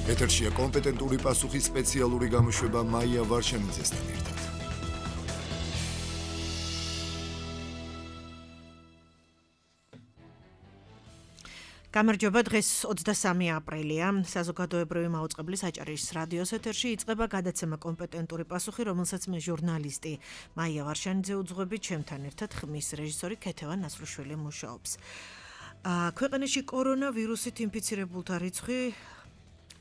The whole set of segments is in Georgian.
ეთერშია კომპეტენტური პასუხის სპეციალური გამოშვება მაია ვარშანიძესთან ერთად. გამარჯობა, დღეს 23 აპრილია, საზოგადოებრივი მაუწყებლის აჭარის რადიოს ეთერში იწყება გადაცემა კომპეტენტური პასუხი, რომელსაც მე ჟურნალისტი მაია ვარშანიძე უძღვებით, ჩემთან ერთად ხმის რეჟისორი ქეთევან ნასრუშვილი მუშაობს. ქვეყანაში კორონავირუსით ინფიცირებულთა რიცხვი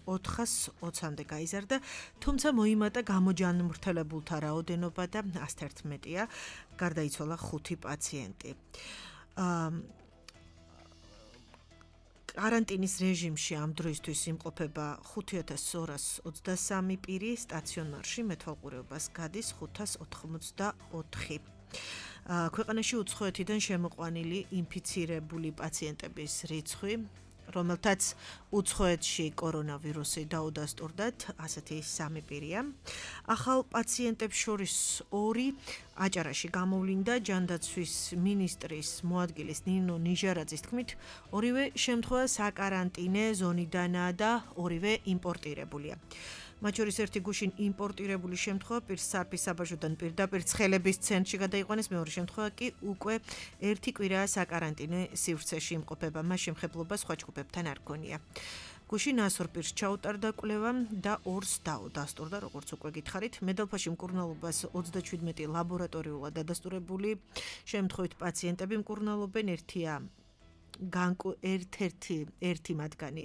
420-მდე გაიზარდა, თუმცა მოიმატა გამოჯანმრთელებულთა რაოდენობა და 111-ია, გარდაიცვალა 5 პაციენტი. Карантиნის რეჟიმში ამ დროისთვის იმყოფება 5223 პირი, სტაციონარში მეთვალყურეობას გადის 584. ქვეყანაში უცხოეთიდან შემოყვანილი ინფიცირებული პაციენტების რიცხვი, რომელთაც უცხოეთში კორონავირუსი დაუდასტურდათ, ასეთი 3 პირია. ახალ პაციენტებს შორის 2 აჭარაში გამოვლინდა ჯანდაცვის მინისტრის მოადგილის ნინო ნიჟარაძის თქმით, ორივე შემთხვევა საკარანტინე ზონიდანაა და ორივე იმპორტირებულია. მათ შორის ერთი გუშინ იმპორტირებული შემთხვევა პირს სარფის საბაჟოდან პირდაპირ ცხელების ცენტრში გადაიყვანეს, მეორე შემთხვევა კი უკვე ერთი კვირაა საკარანტინე სივრცეში იმყოფება, მას შემხებლობა სხვა ჯგუფებთან არ გონია. გუშინ 102 პირს ჩაუტარდა კვლევა და 2-ს დაუდასტურდა, როგორც უკვე გითხარით. მედალფაში მკურნალობას 37 ლაბორატორიულად დადასტურებული შემთხვევით პაციენტები მკურნალობენ, ერთი მათგანი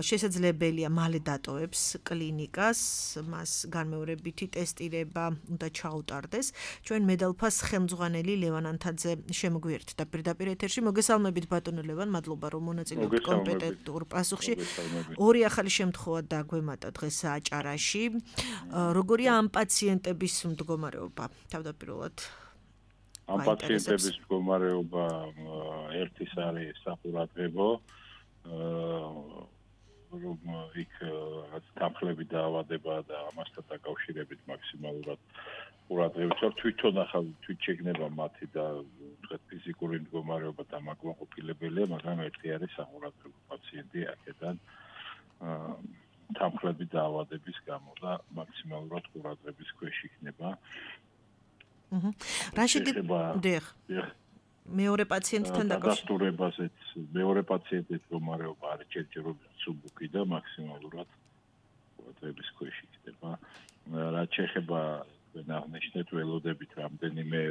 შესაძლებელია მალე დატოვებს კლინიკას, მას განმეორებითი ტესტირება უნდა ჩაუტარდეს. ჩვენ მედალფას ხელმძღვანელი ლევან ანთაძე შემოგვიერთდა პირდაპირ ეთერში. მოგესალმებით ბატონო ლევან, მადლობა რომ მონაწილეობთ კომპეტენტურ პასუხში. 2 ახალი შემთხვევა დაგვემატა დღეს აჭარაში. როგორია ამ პაციენტების მდგომარეობა? თავდაპირველად ამ პაციენტების მდგომარეობა ერთის არის საყურადღებო, რომ იქ თანხლები დაავადება და ამასთან დაკავშირებით მაქსიმალურად ყურადღებით ვარ. თვითონ ახალ შექმნება მათი და ვთქვათ ფიზიკური მდგომარეობა დამაკმაყოფილებელია, მაგრამ ერთი არის საყურადღებო პაციენტი აქედან თანხლები დაავადების გამო და მაქსიმალურად ყურადღების ქვეშ იქნება. რა შეგება მეორე პაციენტთან დადასტურებაზეც მეორე პაციენტის მდგომარეობა არის ჯერჯერობით სუბუქი და მაქსიმალურად ყურადღების ქვეშ იქნება. რაც შეეხება აღნიშნეთ ველოდებით რამდენიმე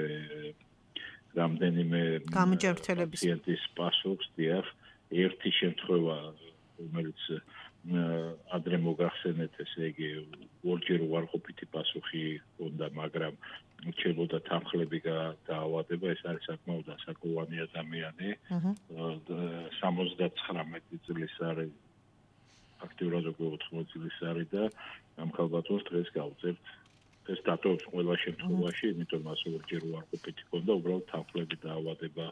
პაციენტის პასუხს, ერთი შემთხვევა, რომელიც ადრე მოგახსენეთ, ესე იგი ორჯერ უარყოფითი პასუხი ჰქონდა, მაგრამ რჩებოდა თანხლები დაავადება, ეს არის საკმაოდ ასაკოვანი ადამიანი, 79 წლის არის, აქტიურად უკვე 80 წლის არის და ამ ხალბატონს დღეს გავწევთ. ეს დატოვებს ყველა შემთხვევაში, იმიტომ მას ორჯერ უარყოფითი ჰქონდა, უბრალოდ თანხლები დაავადება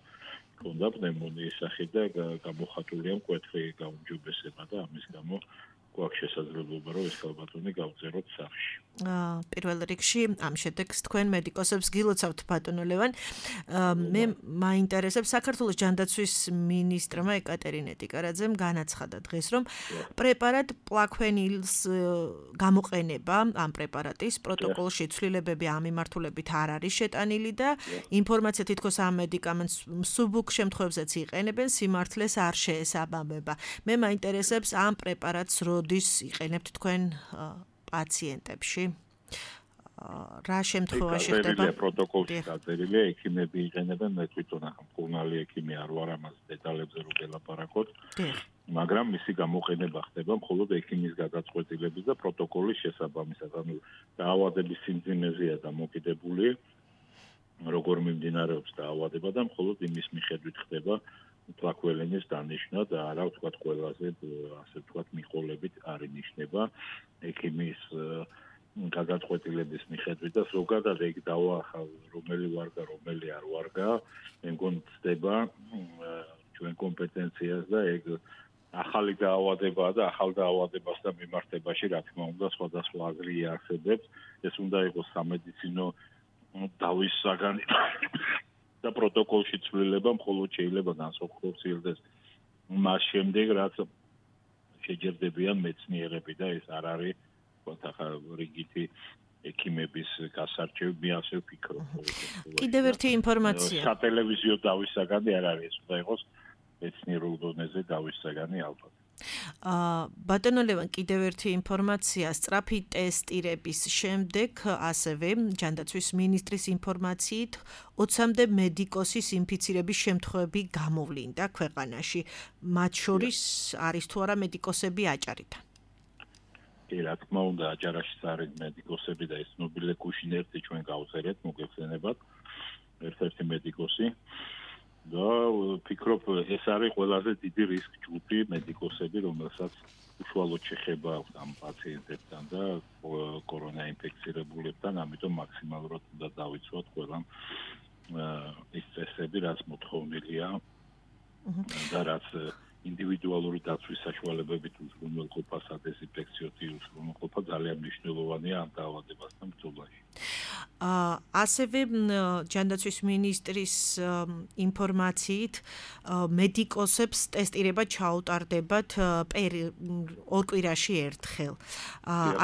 ჰქონდა პნევმონიის სახით და გამოხატულია მკვეთრი გაუმჯობესება და ამის გამო გვაქვს შესაძლებლობა, რომ ეს ხალბატონი გავწეროთ სახლში. პირველ რიგში ამ შედეგს თქვენ მედიკოსებს გილოცავთ ბატონო ლევან. მე მაინტერესებს საქართველოს ჯანდაცვის მინისტრმა ეკატერინე ტიკარაძემ განაცხადა დღეს, რომ პრეპარატ პლაქვენილს გამოყენება ამ პრეპარატის პროტოკოლში ცვლილებები ამ მიმართულებით არ არის შეტანილი და ინფორმაცია თითქოს ამ მედიკამენტს მსუბუქ შემთხვევებზეც იყენებენ, სიმართლეს არ შეესაბამება. მე მაინტერესებს ამ პრეპარატს როდის იყენებთ თქვენ პაციენტებში? რა შემთხვევაში ხდება? პროტოკოლში გაწერილია, ექიმები იყენებენ, მე თვითონ მკურნალი ექიმი არ ვარ, ამას დეტალებზე რო ველაპარაკოთ. მაგრამ მისი გამოყენება ხდება მხოლოდ ექიმის გადაწყვეტილების და პროტოკოლის შესაბამისად, ანუ დაავადების სიმძიმეზეა დამოკიდებული, როგორ მიმდინარეობს დაავადება და მხოლოდ იმის მიხედვით ხდება პლაქველინის დანიშვნა და არა ვთქვათ ყველაზე ასე ვთქვათ მიყოლებით არ ინიშნება ექიმის გადაწყვეტილების მიხედვით და ზოგადად ეგ დავაახალ რომელი ვარგა რომელი არ ვარგა მე მგონი ხდება ჩვენ კომპეტენციას და ეგ ახალი დაავადებაა და ახალ დაავადებასთან მიმართებაში რა თქმა უნდა სხვადასხვა აზრი არსებობს ეს უნდა იყოს სამედიცინო დავის საგანი და პროტოკოლში ცვლილება მხოლოდ შეიძლება განსახორციელდეს მას შემდეგ რაც შეჯერდებიან მეცნიერები და ეს არ არის ხა რიგითი ექიმების გასარჩევი, მე ასე ვფიქრობ. კიდევ ერთი ინფორმაცია. სატელევიზიო დავის საგანი არ არის, ეს უნდა იყოს მეცნიერულ დონეზე დავის საგანი ალბათ. ბატონო ლევან, კიდევ ერთი ინფორმაცია, სწრაფი ტესტირების შემდეგ ასევე ჯანდაცვის მინისტრის ინფორმაციით 20-მდე მედიკოსის ინფიცირების შემთხვევები გამოვლინდა ქვეყანაში. მათ შორის არის თუ არა მედიკოსები აჭარიდან? კი, რა თქმა უნდა, აჭარაშიც არის მედიკოსები და ეს ნობილე კუშინერტი ჩვენ გავწერეთ, მოგეხსენებათ, ერთ-ერთი მედიკოსი. და ვფიქრობ, ეს არის ყველაზე დიდი რისკ ჯგუფი მედიკოსები, რომელსაც უშუალოდ შეხება აქვს ამ პაციენტებთან და კორონა ინფექცირებულებთან, ამიტომ მაქსიმალურად უნდა დავიცვათ ყველა ის წესები, რაც მოთხოვნილია და რაც ინდივიდუალური დაცვის საშუალებებით უზრუნველყოფა, სადეზინფექციო უზრუნველყოფა ძალიან მნიშვნელოვანია ამ დაავადებასთან ბრძოლაში. ასევე ჯანდაცვის მინისტრის ინფორმაციით მედიკოსებს ტესტირება ჩაუტარდებათ 2 კვირაში ერთხელ.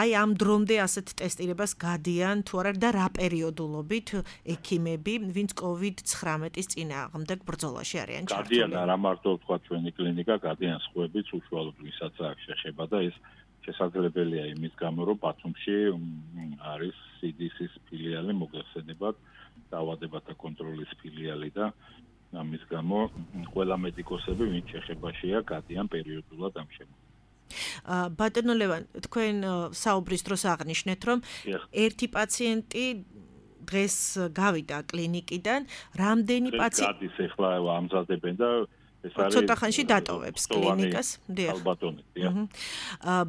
აი ამ დრომდე ასეთ ტესტირებას გადიან თუ არა და რა პერიოდულობით ექიმები, ვინც COVID-19-ის წინააღმდეგ ბრძოლაში არიან ჩართული? გადიან არა მარტო თქვა ჩვენი კლინიკა, გადიან სხვაებიც უშუალოდ ვისაც აქვს შეხება და ეს შესაძლებელია იმის გამო, რომ ბათუმში არის CDC-ის ფილიალი, მოგეხსენებათ, დაავადებათა კონტროლის ფილიალი და ამის გამო ყველა მედიკოსები, ვინც შეხებაშია, გადიან პერიოდულად ამ შემთხვევაში. ბატონო ლევან, თქვენ საუბრის დროს აღნიშნეთ, რომ ერთი პაციენტი დღეს გავიდა კლინიკიდან, რამდენი პაციენტი გადის ახლა ამზადებენ და ცოტა ხანში დატოვებს კლინიკას.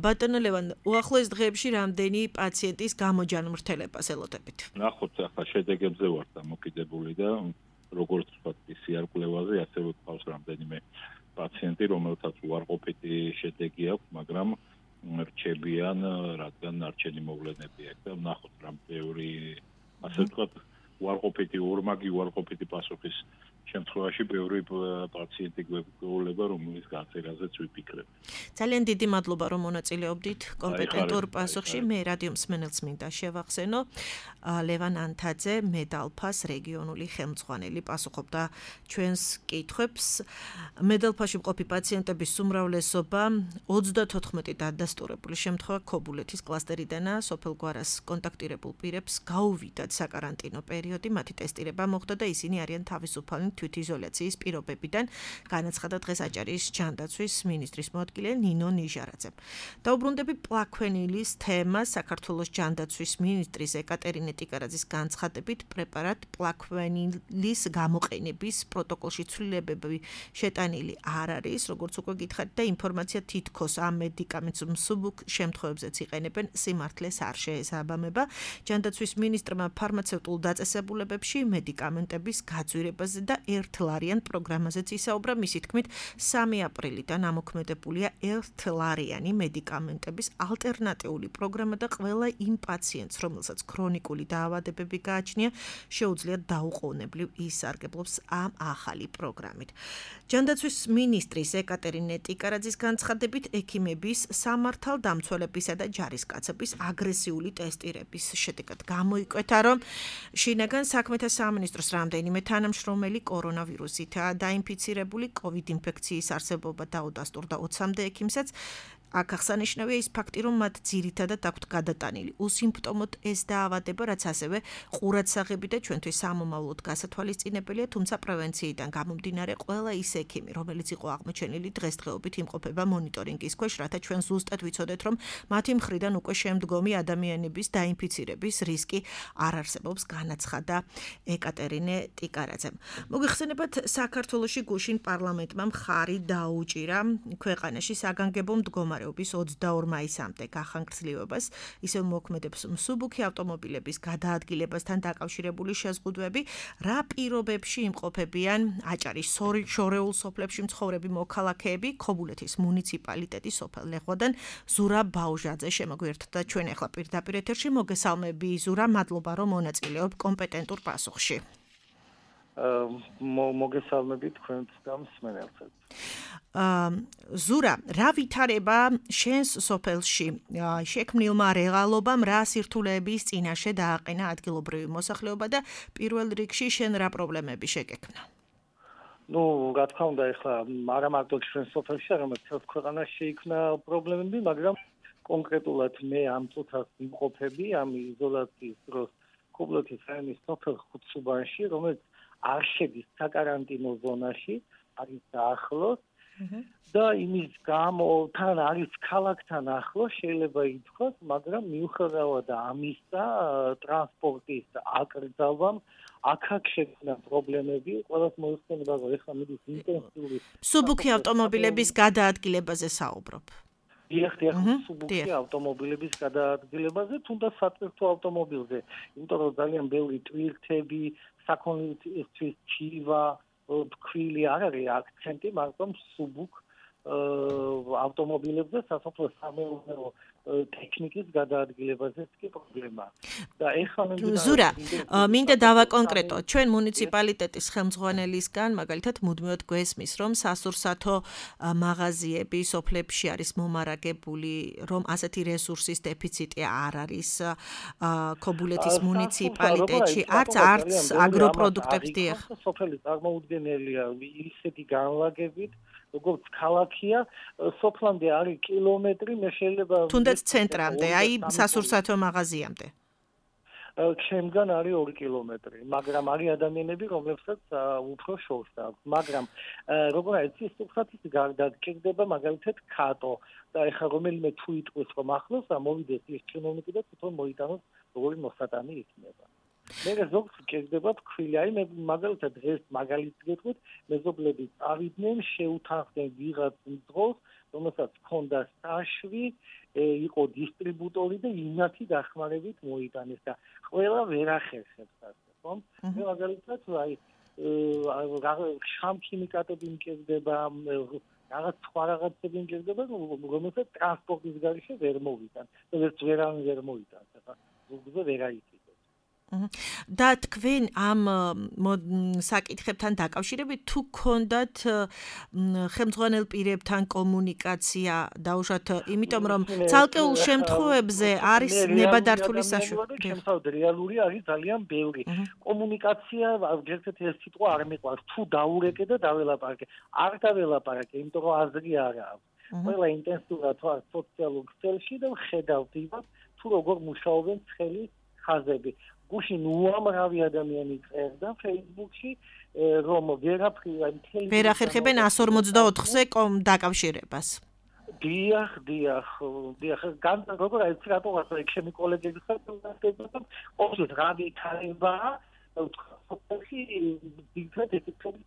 ბატონო ლევან, უახლოეს დღეებში რამდენი პაციენტის გამოჯანმრთელებას ელოდებით? ნახოთ, ახლა შედეგებზე ვარ დამოკიდებული და როგორც ვთქვათ, PCR კვლევაზე ასევე გვყავს რამდენიმე პაციენტი, რომელთაც უარყოფითი შედეგი აქვს, მაგრამ რჩებიან, რადგან ნარჩენი მოვლენები აქვს და ნახოთ, რამ ბევრი ასე ვთქვათ, უარყოფითი, ორმაგი უარყოფითი პასუხის შემთხვევაში ბევრი პაციენტი გვეუბნება, რომლის გაწერაზეც ვიფიქრებ. ძალიან დიდი მადლობა, რომ მონაწილეობდით კომპეტენტურ პასუხში. მე რადიო მსმენელს მინდა შევახსენო, ლევან ანთაძე, მედალფას რეგიონული ხელმძღვანელი, პასუხობდა ჩვენს კითხვებს. მედალფაში მყოფი პაციენტების უმრავლესობა 34 დადასტურებული შემთხვევა ქობულეთის კლასტერიდანაა. სოფელ გვარას კონტაქტირებულ პირებს გაუვიდათ საკარანტინო პერიოდი, მათი ტესტირება მოხდა და ისინი არიან თავისუფალი თვითიზოლაციის პირობებიდან, განაცხადა დღეს აჭარის ჯანდაცვის მინისტრის მოადგილე ნინო ნიჟარაძემ. დაუბრუნდები პლაქვენილის თემას. საქართველოს ჯანდაცვის მინისტრის ეკატერინე ტიკარაძის განცხადებით, პრეპარატ პლაქვენილის გამოყენების პროტოკოლში ცვლილებები შეტანილი არ არის, როგორც უკვე გითხარით და ინფორმაცია თითქოს ამ მედიკამენტს მსუბუქ შემთხვევებზეც იყენებენ, სიმართლეს არ შეესაბამება. ჯანდაცვის მინისტრმა ფარმაცევტულ დაწესებულებებში მედიკამენტების გაძვირებაზე და ერთლარიან პროგრამაზეც ისაუბრა. მისი თქმით, 3 აპრილიდან ამოქმედებულია ერთლარიანი მედიკამენტების ალტერნატიული პროგრამა და ყველა იმ პაციენტს, რომელსაც ქრონიკული დაავადებები გააჩნია, შეუძლია დაუყოვნებლივ ისარგებლობს ამ ახალი პროგრამით. ჯანდაცვის მინისტრის ეკატერინე ტიკარაძის განცხადებით, ექიმების სამართალდამცველებისა და ჯარისკაცების აგრესიული ტესტირების შედეგად გამოიკვეთა, რომ შინაგან საქმეთა სამინისტროს რამდენიმე თანამშრომელი კორონავირუსითაა დაინფიცირებული, COVID ინფექციის არსებობა დაუდასტურდა 20-მდე ექიმსაც. აქ აღსანიშნავია ის ფაქტი, რომ მათ ძირითადად აქვთ გადატანილი უსიმპტომოდ ეს დაავადება, რაც ასევე ყურადსაღები და ჩვენთვის სამომავლოდ გასათვალისწინებელია, თუმცა პრევენციიდან გამომდინარე ყველა ის ექიმი, რომელიც იყო აღმოჩენილი დღესდღეობით იმყოფება მონიტორინგის ქვეშ, რათა ჩვენ ზუსტად ვიცოდეთ, რომ მათი მხრიდან უკვე შემდგომი ადამიანების დაინფიცირების რისკი არ არსებობს, განაცხადა ეკატერინე ტიკარაძემ. მოგეხსენებათ, საქართველოში გუშინ პარლამენტმა მხარი დაუჭირა ქვეყანაში საგანგებო მდგომარეობის 22 მაისამდე გახანგრძლივებას, ისევ მოქმედებს მსუბუქი ავტომობილების გადაადგილებასთან დაკავშირებული შეზღუდვები, რა პირობებში იმყოფებიან აჭარის შორეულ სოფლებში მცხოვრები მოქალაქეები, ქობულეთის მუნიციპალიტეტის სოფელ ლეხვადან ზურა ბაუჟაძე შემოგვიერთდა ჩვენ ახლა პირდაპირ ეთერში. მოგესალმები ზურა, მადლობა რომ მონაწილეობ კომპეტენტურ პასუხში. მოგესალმებით თქვენს და მსმენელსაც. ზურა, რა ვითარება შენს სოფელში შექმნილმა რეალობამ რა სირთულეების წინაშე დააყენა ადგილობრივი მოსახლეობა და პირველ რიგში შენ რა პრობლემები შეგექმნა? რა თქმა უნდა, ეხლა არა მარტო ჩვენ სოფელში, არამედ მთელს ქვეყანაში შეიქმნა პრობლემები, მაგრამ კონკრეტულად მე ამ წუთას ვიმყოფები ამ იზოლაციის დროს ქობულეთის რაიონის სოფელ ხუთსუბანში, რომელიც არ შედის საკარანტინო ზონაში, არის ახლოს და იმის გამო თან არის ქალაქთან ახლოს შეიძლება ითქვას, მაგრამ მიუხედავად ამისა ტრანსპორტის აკრძალვამ აქ შექმნა პრობლემები, ყველას მოიხსენება, რომ ეხლა მიდის ინტენსიური სუბუქი ავტომობილების გადაადგილებაზე საუბრობ. დიახ, სუბუქი ავტომობილების გადაადგილებაზე, თუნდაც სატვირთო ავტომობილზე, იმიტომ რომ ძალიან ბევრი ტვირთები, საქონლისთვის ჩივა, თქვილი არ არის აქცენტი, მაგრამ სუბუქ ავტომობილებზე სასოფლო-სამეურნეო ტექნიკის გადაადგილებაზეც კი პრობლემაა. და ეხლა ზურა, მინდა დავაკონკრეტო, ჩვენ მუნიციპალიტეტის ხელმძღვანელისგან მაგალითად მუდმივად გვესმის, რომ სასურსათო მაღაზიები სოფლებში არის მომარაგებული, რომ ასეთი რესურსის დეფიციტი არ არის ქობულეთის მუნიციპალიტეტში, არც აგროპროდუქტებს დიახ. სოფელი წარმოუდგენელია ისეთი განლაგებით, როგორც ქალაქია, სოფლამდე არის კილომეტრი, მე შეიძლება თუნდაც ცენტრამდე, აი სასურსათო მაღაზიამდე. ჩემგან არის 2 კილომეტრი, მაგრამ არის ადამიანები, რომლებსაც უფრო შორს აქვს, მაგრამ როგორ არის ის სუფრათის გარდა გკრდება მაგალითად კატო და ეხლა რომელიმე თუ იტყვის რომ ახლოს მოვიდეს ის ჩინოვნიკი და თვითონ მოიტანოს როგორი მოსატანი იქნება. მე ზოგს გკრდება თქვილი, აი მე მაგალითად დღეს მაგალითს გეტყვით, მეზობლები წავიდნენ, შეუთანხმდნენ ვიღაც მძღოლს, რომელსაც ჰქონდა საშვი, იყო დისტრიბუტორი და იმათი დახმარებით მოიტანეს და ყველა ვერ ახერხებს ასე, ხო? მე მაგალითად აი შამქიმიკატები მკერდება, რაღაც სხვა რაღაცები მკერდება, რომელსაც ტრანსპორტის გარეშე ვერ მოვიტან. ვერავინ ვერ მოიტანს, ახლა ზოგზე ვერ აიწი. და თქვენ ამ საკითხებთან დაკავშირებით თუ გქონდათ ხელმძღვანელ პირებთან კომუნიკაცია დაუშვათ, იმიტომ რომ ცალკეულ შემთხვევებზე არის ნებადართული საშუალება. შემთხვევით რეალური არის ძალიან ბევრი. კომუნიკაცია ერთ-ერთი ეს სიტყვა არ მეყვარს, თუ დაურეკე და დაველაპარაკე. არ დაველაპარაკე, იმიტომ რომ აზრი არ აქვს. ყველა ინტენსიურად ვარ სოციალურ ქსელში და ვხედავ თუ როგორ მუშაობენ ცხელი ხაზები. გუშინ უამრავი ადამიანი წერდა Facebook-ში, რომ ვერ ახერხებენ 154-ზე დაკავშირებას. დიახ, როგორ არის რატოღაც ჩემი კოლეგები ხართ, ყოველთვის რა ვითარებაა, სოფელში დიდად ეთქები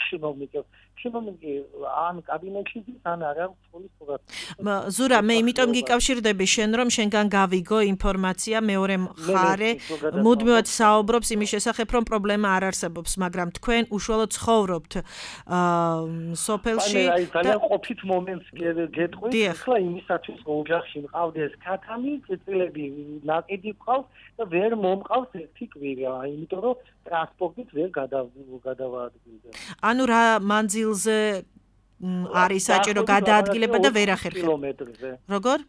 чиновники ან კაბინეტში ან არა სკოლის პროგრამა. ზურა, მე იმიტომ გიკავშირდები შენ, რომ შენგან გავიგო ინფორმაცია, მეორე მხარე მუდმივად საუბრობს იმის შესახებ, რომ პრობლემა არ არსებობს, მაგრამ თქვენ უშუალოდ ცხოვრობთ სოფელში. აი ძალიან ყოფით მომენტს გეტყვით, ახლა იმისათვის რომ ოჯახში მყავდეს ქათამი, წიწილები ნაკიდი ყავს და ვერ მომყავს ერთი კვირა, იმიტომ რომ ტრანსპორტით ვერ გადავაადგილდება. ანუ რა მანძილზე არის საჭირო გადაადგილება და ვერ ახერხებ. კილომეტრზე. როგორ?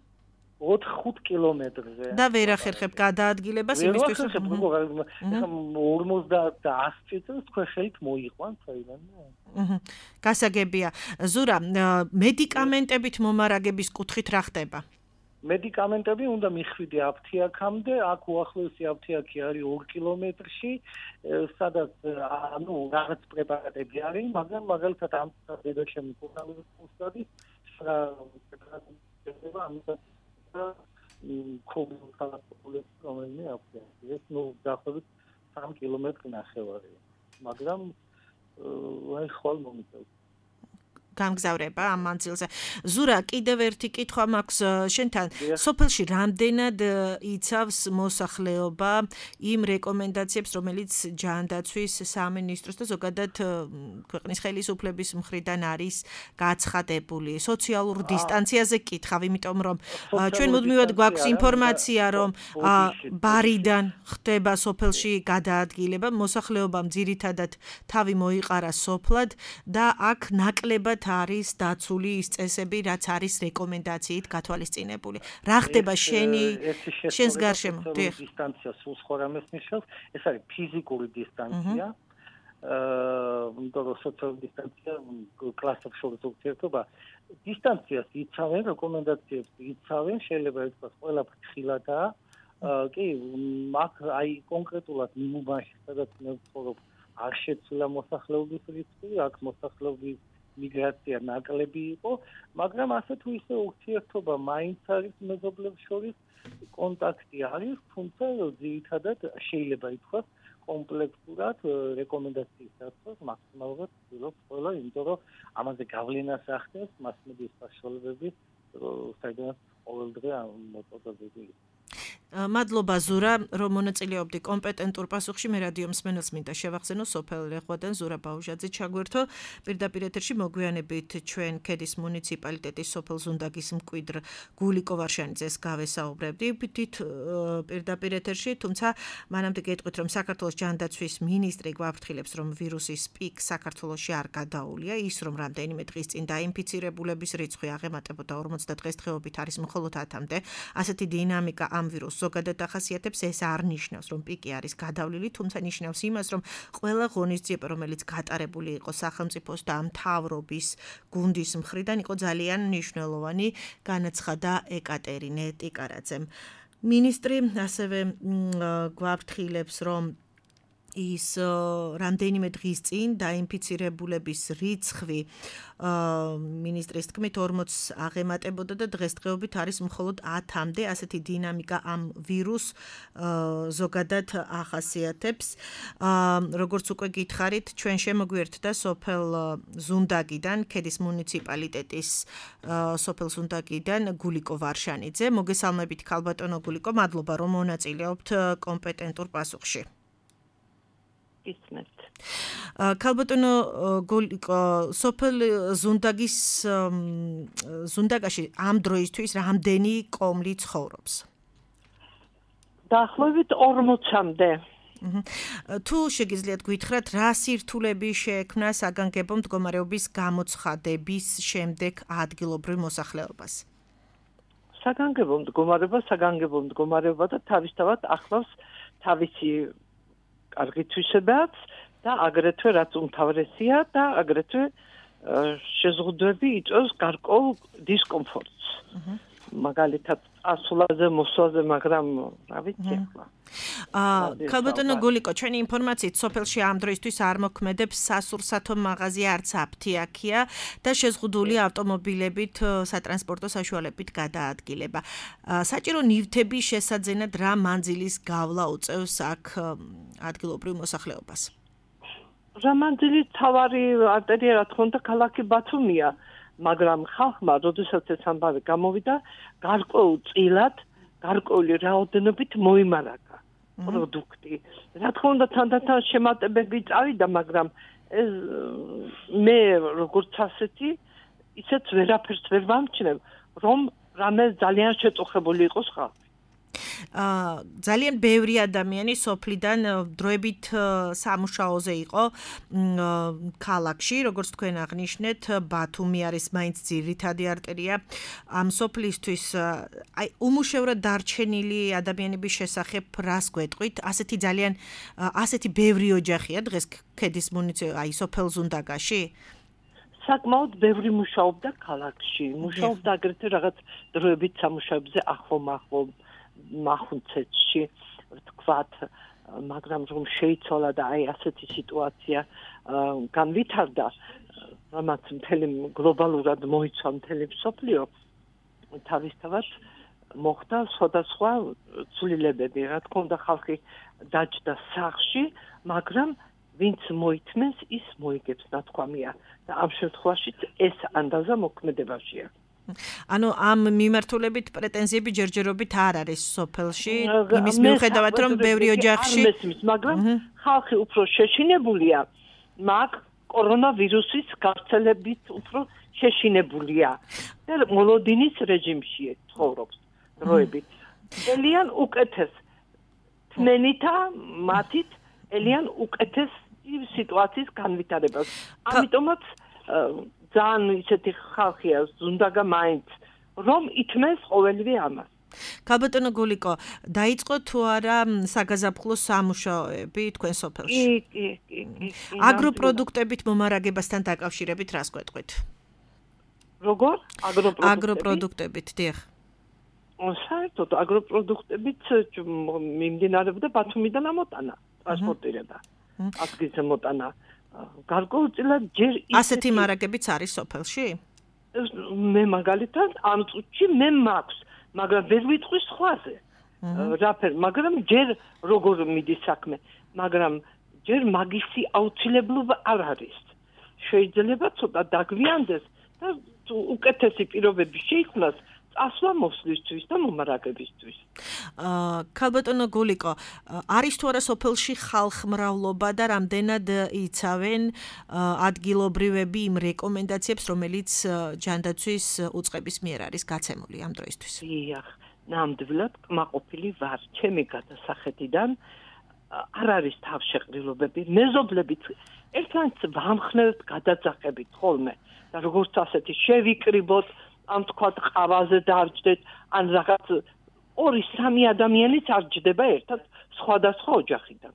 4-5 კილომეტრზე. და ვერ ახერხებ გადაადგილებას იმისთვის, რომ 50 და 100 წელს თქვენ ხელით მოიყვანთ საიდანვე. გასაგებია. ზურა, მედიკამენტებით მომარაგების კუთხით რა ხდება? მედიკამენტები უნდა მიხვიდე აფთიაქამდე, აქ უახლოესი აფთიაქი არის 2 კილომეტრში, სადაც რაღაც პრეპარატები არის, მაგრამ მაგალითად ამ დედაჩემი კურნალის უსტადი რომელიმე აფთიაქი. ეს დაახლოებით 3 კილომეტრი ნახევარია, მაგრამ აი ხვალ მომიწევს. გამგზავრება ამ მანძილზე. ზურა, კიდევ ერთი კითხვა მაქვს შენთან. სოფელში რამდენად იცავს მოსახლეობა იმ რეკომენდაციებს, რომელიც ჯანდაცვის სამინისტროს და ზოგადად ქვეყნის ხელისუფლების მხრიდან არის გაცხადებული. სოციალურ დისტანციაზე კითხავ, იმიტომ რომ ჩვენ მუდმივად გვაქვს ინფორმაცია, რომ ბარიდან ხდება სოფელში გადაადგილება, მოსახლეობამ ძირითადად თავი მოიყარა სოფლად და აქ ნაკლებად არის დაცული ის წესები, რაც არის რეკომენდაციით გათვალისწინებული. რა ხდება შენს გარშემო? დისტანცია სულ სხვა რამეს ნიშნავს, ეს არის ფიზიკური დისტანცია. იმიტომ რომ სოციალური დისტანცია კლასებს შორის ურთიერთობა დისტანციას იცავენ, რეკომენდაციებს იცავენ, შეიძლება ითქვას ყველა ფრთხილადაა. კი, აქ აი კონკრეტულად მიმუბანში, სადაც მე ვცხოვრობ, არ შეცვლა მოსახლეობის რიცხვი, აქ მოსახლეობის მიგრაცია ნაკლები იყო, მაგრამ ასე თუ ისე ურთიერთობა მაინც არის მეზობლებს შორის, კონტაქტი არის, თუმცა ძირითადად შეიძლება ითქვას კომპლექსურად რეკომენდაციის დაცვას მაქსიმალურად ვცდილობთ ყველა, იმიტომ რომ ამაზე გავლენას ახდენს მასმედიის საშუალებები, საიდანაც ყოველდღე მოწოდებული. მადლობა ზურა, რომ მონაწილეობდი კომპეტენტურ პასუხში. მე რადიო მსმენელს მინდა შევახსენო სოფელ რეხვადან ზურა ბაუჟაძე ჩაგვერთო. პირდაპირ ეთერში მოგვიანებით ჩვენ ქედის მუნიციპალიტეტის სოფელ ზუნდაგის მკვიდრ გულიკო ვარშანიძეს გავესაუბრებდი. პირდაპირ ეთერში, თუმცა მანამდე გეტყვით, რომ საქართველოს ჯანდაცვის მინისტრი გვაფრთხილებს, რომ ვირუსის პიკ საქართველოში არ გადაულია, ის რომ რამდენიმე დღის წინ დაინფიცირებულების რიცხვი აღემატებოდა 50 დღესდღეობით არის მხოლოდ 10-მდე. ასეთი დინამიკა ამ ვირუსს ზოგადად ახასიათებს, ეს არ ნიშნავს, რომ პიკი არის გადავლილი, თუმცა ნიშნავს იმას, რომ ყველა ღონისძიება, რომელიც გატარებული იყო სახელმწიფოს და მთავრობის გუნდის მხრიდან, იყო ძალიან მნიშვნელოვანი, განაცხადა ეკატერინე ტიკარაძემ. მინისტრი ასევე გვაფრთხილებს, რომ ის რამდენიმე დღის წინ დაინფიცირებულების რიცხვი მინისტრის თქმით 40 აღემატებოდა და დღესდღეობით არის მხოლოდ 10-მდე. ასეთი დინამიკა ამ ვირუსს ზოგადად ახასიათებს. როგორც უკვე გითხარით, ჩვენ შემოგვიერთდა სოფელ ზუნდაგიდან, ქედის მუნიციპალიტეტის სოფელ ზუნდაგიდან გულიკო ვარშანიძე. მოგესალმებით ქალბატონო გულიკო, მადლობა რომ მონაწილეობთ კომპეტენტურ პასუხში. ქალბატონო გულიკო, სოფელ ზუნდაგაში ამ დროისთვის რამდენი კომლი ცხოვრობს? დაახლოებით 40-მდე. თუ შეგიძლიათ გითხრათ, რა სირთულები შეექმნა საგანგებო მდგომარეობის გამოცხადების შემდეგ ადგილობრივ მოსახლეობას? საგანგებო მდგომარეობა და თავისთავად ახლავს თავისი კარგი თვისებაც და აგრეთვე რაც უმთავრესია და აგრეთვე შეზღუდვები იწვევს გარკვეულ დისკომფორტს. მაგალითად ასულაზე მოსვლაზე, მაგრამ რა ვიცი ახლა. ქალბატონო გულიკო, ჩვენი ინფორმაციით სოფელში ამ დროისთვის არ მოქმედებს სასურსათო მაღაზია, არც აფთიაქია და შეზღუდული ავტომობილებით სატრანსპორტო საშუალებით გადაადგილება. საჭირო ნივთების შესაძენად რა მანძილის გავლა უწევს აქ ადგილობრივ მოსახლეობას? რა მანძილი თავარი არტერია, რა თქმა უნდა, ქალაქი ბათუმია. მაგრამ ხალხმა, როდესაც ეს ამბავი გამოვიდა, გარკვეულ წილად, გარკვეული რაოდენობით მოიმარაგა პროდუქტი. რა თქმა უნდა, თანდათან შემატებები წავიდა, მაგრამ ეს მე როგორც ასეთი, ისეც ვერაფერს ვერ ვამჩნევ, რომ რამე ძალიან შეწუხებული იყოს ხალხი. ძალიან ბევრი ადამიანი სოფლიდან დროებით სამუშაოზე იყო ქალაქში, როგორც თქვენ აღნიშნეთ, ბათუმი არის მაინც ძირითადი არტერია ამ სოფლისთვის. აი უმუშევრად დარჩენილი ადამიანების შესახებ რას გვეტყვით? ასეთი ბევრი ოჯახია დღეს ქედის აი სოფელ ზუნდაგაში? საკმაოდ ბევრი მუშაობდა ქალაქში. მუშაობდა აგრეთვე რაღაც დროებით სამუშაოებზე ახლო მახუნცეთში, თქვათ, მაგრამ რომ შეიცვალა და აი ასეთი სიტუაცია განვითარდა, რამაც მთელი გლობალურად მოიცვა მთელი მსოფლიო, თავისთავად მოხდა სხვადასხვა ცვლილებები. რა თქმა უნდა, ხალხი დაჯდა სახლში, მაგრამ ვინც მოითმენს, ის მოიგებს, ნათქვამია და ამ შემთხვევაში ეს ანდაზა მოქმედებაშია. ანუ ამ მიმართულებით პრეტენზიები ჯერჯერობით არ არის სოფელში, იმის მიუხედავად რომ ბევრი ოჯახში არ მესმის, მაგრამ ხალხი უფრო შეშინებულია, მაგ კორონავირუსის გავრცელებით უფრო შეშინებულია და მოლოდინის რეჟიმში ცხოვრობს დროებით. ელიან უკეთეს თმენითა მათით ელიან უკეთეს სიტუაციის განვითარებას. ამიტომაც ძალიან ისეთი ხალხია ზუნდაგა მაინც რომ ითმეს ყოველივე ამას. ქალბატონო გულიკო, დაიწყო თუ არა საგაზაფხულო სამუშაოები თქვენ სოფელში? კი. აგროპროდუქტებით მომარაგებასთან დაკავშირებით რას გვეტყვით? როგორ? აგროპროდუქტებით, დიახ. საერთოდ აგროპროდუქტებით მიმდინარეობდა ბათუმიდან ამოტანა, ტრანსპორტირება. ადგილზე მოტანა. გარკვეულწილად ჯერ ასეთი მარაგებიც არის სოფელში? მე მაგალითად ამ წუთში მე მაქვს, მაგრამ ვერ ვიტყვი სხვაზე. მაგრამ ჯერ როგორ მიდის საქმე, მაგრამ ჯერ მაგისი აუცილებლობა არ არის. შეიძლება ცოტა დაგვიანდეს და უკეთესი პირობები შეიქმნას წასვლა მოსვლისთვის და მომარაგებისთვის. ქალბატონო გულიკო, არის თუ არა სოფელში ხალხმრავლობა და რამდენად იცავენ ადგილობრივები იმ რეკომენდაციებს, რომელიც ჯანდაცვის უწყების მიერ არის გაცემული ამ დროისთვის? დიახ, ნამდვილად კმაყოფილი ვარ. ჩემი გადასახედიდან არ არის თავშეყრილობები, მეზობლებით ერთმანეთს ვამხნევთ გადაძახებით ხოლმე და როგორც ასეთი შევიკრიბოთ, ამ თქვა ყავაზე დარჯდეთ, ან რაღაც 2-3 ადამიანიც არ ჯდება ერთად სხვადასხვა ოჯახიდან.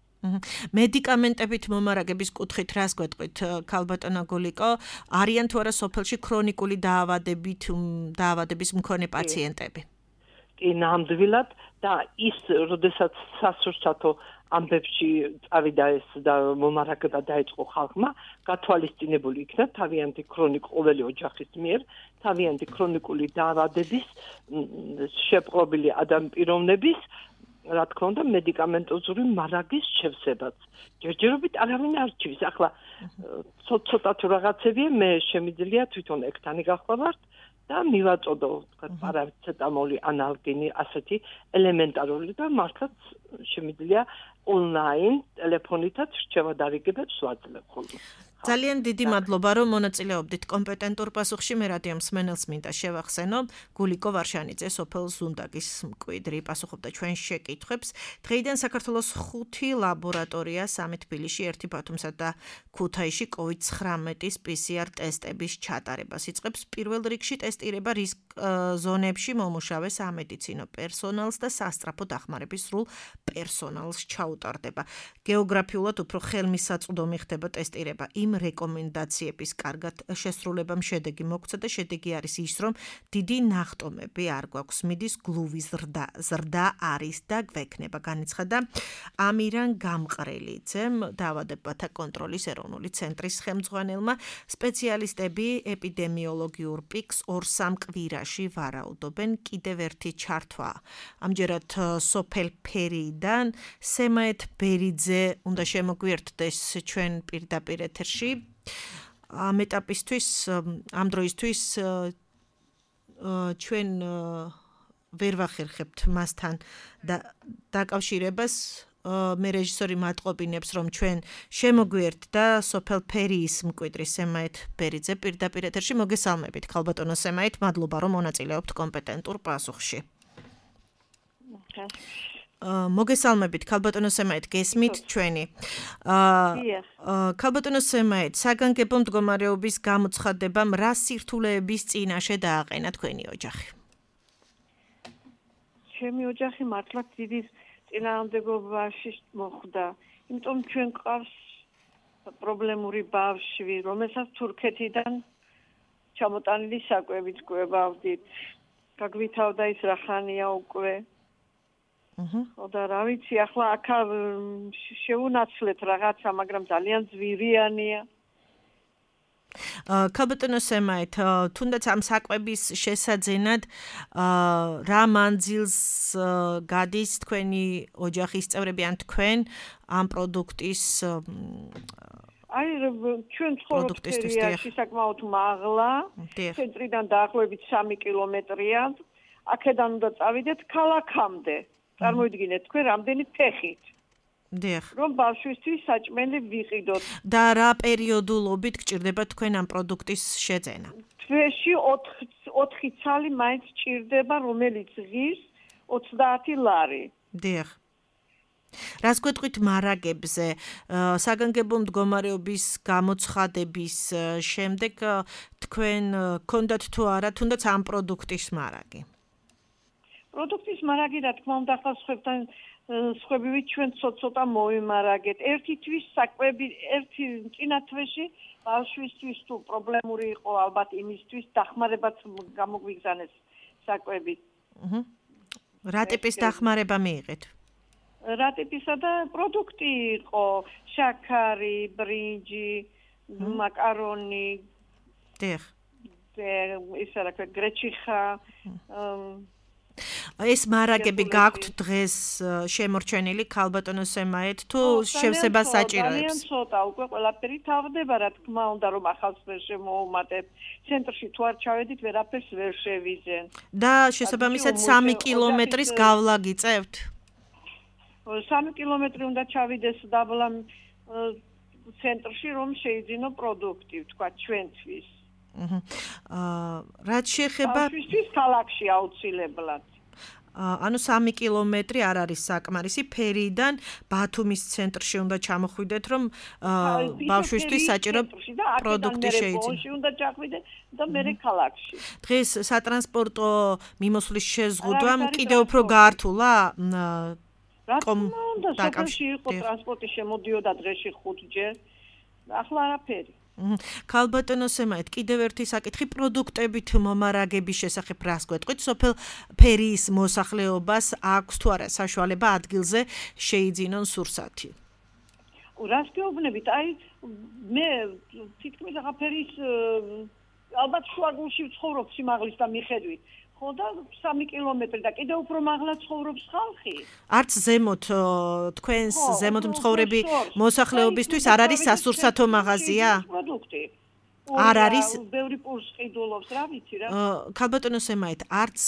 მედიკამენტებით მომარაგების კუთხით რას გვეტყვით, ქალბატონო გულიკო, არიან თუ არა სოფელში ქრონიკული დაავადების მქონე პაციენტები? კი, ნამდვილად და ის, როდესაც სასურსათო ამბებში წავიდა ეს და მომარაგება დაიწყო ხალხმა, გათვალისწინებული იქნა თავიანთი ყოველი ოჯახის მიერ თავიანთი ქრონიკული დაავადების შეპყრობილი ადამიანების, რა თქმა უნდა, მედიკამენტოზური მარაგის შევსებაც. ჯერჯერობით არავინ არ რჩივის. ახლა ცოტა თუ რაღაცებია, მე შემიძლია თვითონ ექთანი გავხვალავთ და მივაწოდო, თქვა, პარაცეტამოლი, ანალგინი, ასეთი ელემენტარული და მართლაც შემიძლია ონლაინ ტელეფონითაც რჩევა დარიგებებს ვაძლევ ხოლმე. ძალიან დიდი მადლობა, რომ მონაწილეობდით კომპეტენტურ პასუხში. მე რადიო მსმენელს მინდა შევახსენო, გულიკო ვარშანიძე, სოფელ ზუნდაგის მკვიდრი, პასუხობდა ჩვენ შეკითხვებს. დღეიდან საქართველოს 5 ლაბორატორია, 3 თბილისში, 1 ბათუმსა და ქუთაისში COVID-19-ის PCR ტესტების ჩატარებას იწყებს. პირველ რიგში ტესტირება რისკ ზონებში მომუშავე სამედიცინო პერსონალს და სასწრაფო დახმარების სრულ პერსონალს ჩაუტარდება. გეოგრაფიულად უფრო ხელმისაწვდომი ხდება ტესტირება იმ რეკომენდაციების კარგად შესრულებამ შედეგი მოგცა და შედეგი არის ის, რომ დიდი ნახტომები არ გვაქვს, მიდის გლუვის ზრდა არის და გვექნება, განაცხადა ამირან გამყრელიძემ, დაავადებათა კონტროლის ეროვნული ცენტრის ხელმძღვანელმა. სპეციალისტები ეპიდემიოლოგიურ პიკს 2-3 კვირაში ვარაუდობენ. კიდევ ერთი ჩართვა ამჯერად სოფელ ფერიდან სემაეთ ბერიძე უნდა შემოგვიერთდეს ჩვენ პირდაპირ ეთერში. ამ ეტაპისთვის, ამ დროისთვის ჩვენ ვერ ვახერხებთ მასთან დაკავშირებას. მე რეჟისორი მატყობინებს, რომ ჩვენ შემოგვიერთ და სოფელ ფერიის მკვიდრი სემაეთ ბერიძე პირდაპირ ეთერში. მოგესალმებით, ქალბატონო სემაეთ, მადლობა, რომ მონაწილეობთ კომპეტენტურ პასუხში. მოგესალმებით, ქალბატონო სემაეთ, გესმით ჩვენი. ქალბატონო სემაეთ, საგანგებო მდგომარეობის გამოცხადებამ რა სირთულეების წინაშე დააყენა თქვენი ოჯახი? ჩემი ოჯახი მართლაც დიდი წინააღმდეგობაში მოხვდა, იმიტომ ჩვენ ყავს პრობლემური ბავშვი, რომელსაც თურქეთიდან ჩამოტანილი საკვებით გვევავდით. გაგვითავდა ის რა ხანია უკვე. და რა ვიცი, ახლა აქ შევუნაცვლეთ რაღაცა, მაგრამ ძალიან ძვირიანია. ქალბატონო სემაით, თუნდაც ამ საკვების შესაძენად რა მანძილს გადის თქვენი ოჯახის წევრები ან თქვენ ამ პროდუქტის აი ჩვენ ცხოვრობთ სერიაში საკმაოდ მაღლა, ცენტრიდან დაახლოებით 3 კილომეტრია, აქედან უნდა წავიდეთ ქალაქამდე. წარმოიდგინეთ თქვენ რამდენი ფეხით. დიახ. რომ ბავშვისთვის საჭმელი ვიყიდოთ. და რა პერიოდულობით გჭირდება თქვენ ამ პროდუქტის შეძენა? თვეში 4 ცალი მაინც ჭირდება, რომელიც ღირს 30 ლარი. დიახ. რას გვეტყვით მარაგებზე, საგანგებო მდგომარეობის გამოცხადების შემდეგ თქვენ გქონდათ თუ არა თუნდაც ამ პროდუქტის მარაგი? პროდუქტის მარაგი რა თქმა უნდა ხალხებთან სხვებივე ჩვენ ცოტა მოიმარაგეთ. ერთი თვის საკვები, ერთი წინა თვეში ბავშვისთვის თუ პრობლემური იყო ალბათ იმისთვის დახმარებაც გამოგვიგზავნეს საკვები. რა ტიპის დახმარება მიიღეთ? რა ტიპისა და პროდუქტი იყო? შაქარი, ბრინჯი, მაკარონი. დიახ. ისე რა ქვია, გრეჩიხა. ეს მარაგები გაქვთ დღეს შემორჩენილი ქალბატონო სემაეთ თუ შევსებას საჭიროებს? ძალიან ცოტა, უკვე ყველაფერი თავდება, რა თქმა უნდა, რომ ახალს ვერ შემოუმატებ. ცენტრში თუ არ ჩავედით, ვერაფერს ვერ შევიზენ. და შესაბამისად 3 კილომეტრის გავლა გიწევთ? 3 კილომეტრი უნდა ჩავიდეს დაბლა ცენტრში, რომ შეიძინო პროდუქტი, თქვა ჩვენთვის. რაც შეეხება ბავშვისთვის ქალაქში აუცილებლად. ანუ 3 კილომეტრი არ არის საკმარისი, ფერიდან ბათუმის ცენტრში უნდა ჩამოხვიდეთ, რომ ბავშვისთვის საჭირო პროდუქტი შეიძინო. უნდა ჩახვიდე და მე ქალაქში. დღეს სატრანსპორტო მიმოსვლის შეზღუდვამ კიდევ უფრო გაართულა? რა თქმა უნდა, სოფელში იყო ტრანსპორტი შემოდიოდა დღეში 5-ჯერ. ახლა არაფერი. ქალბატონო სემაით, კიდევ ერთი საკითხი პროდუქტებით მომარაგების შესახებ რას გვეტყვით? სოფელ ფერიის მოსახლეობას აქვს თუ არა საშუალება ადგილზე შეიძინონ სურსათი? რას გეუბნებით? აი მე თითქმის აღა ფერის ალბათ შუაგულში ვცხოვრობ სიმაღლის და მიხედვით. ხო და 3 კილომეტრი და კიდევ უფრო მაღლა ცხოვრობს ხალხი. არც ზემოთ თქვენს ზემოთ მცხოვრები მოსახლეობისთვის არ არის სასურსათო მაღაზია? პროდუქტი. არ არის ბევრი პურს ყიდულობს, რა ვიცი რა. ქალბატონო სემაით, არც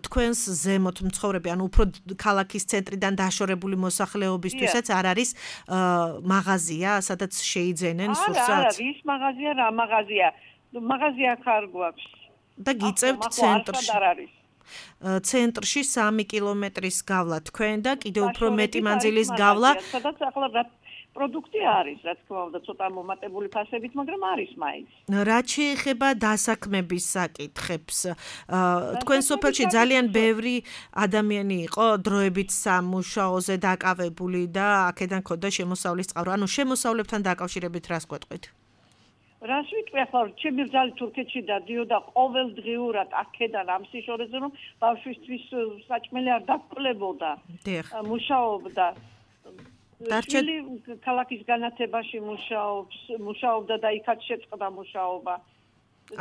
თქვენს ზემოთ მცხოვრები, ანუ უფრო ქალაქის ცენტრიდან დაშორებული მოსახლეობისთვისაც არ არის მაღაზია, სადაც შეიძენენ სურსათს? არა, ის მაღაზია რა მაღაზია? მაღაზია ხარ გვაქვს. და გიწევთ ცენტრში. ცენტრში 3 კილომეტრის გავლა თქვენ და კიდევ უფრო მეტი მანძილის გავლა. სადაც ახლა რა პროდუქტი არის, რა თქმა უნდა, ცოტა მომატებული ფასებით, მაგრამ არის მაინც. რაც შეეხება დასაქმების საკითხებს, თქვენ სოფელში ძალიან ბევრი ადამიანი იყო დროებით სამუშაოზე დაკავებული და აქედან ქონდა შემოსავლის წყარო. ანუ შემოსავლებთან დაკავშირებით რას გვეტყვით? რას ვიტყვი ახლა ჩემი ბრძალი თურქეთში დადიოდა ყოველდღიურად აქედან ამ სიშორეზე რომ ბავშვისთვის საჭმელი არ დაკლებოდა. მუშაობდა. შვილი ქალაქის განათებაში მუშაობდა და იქაც შეწყდა მუშაობა.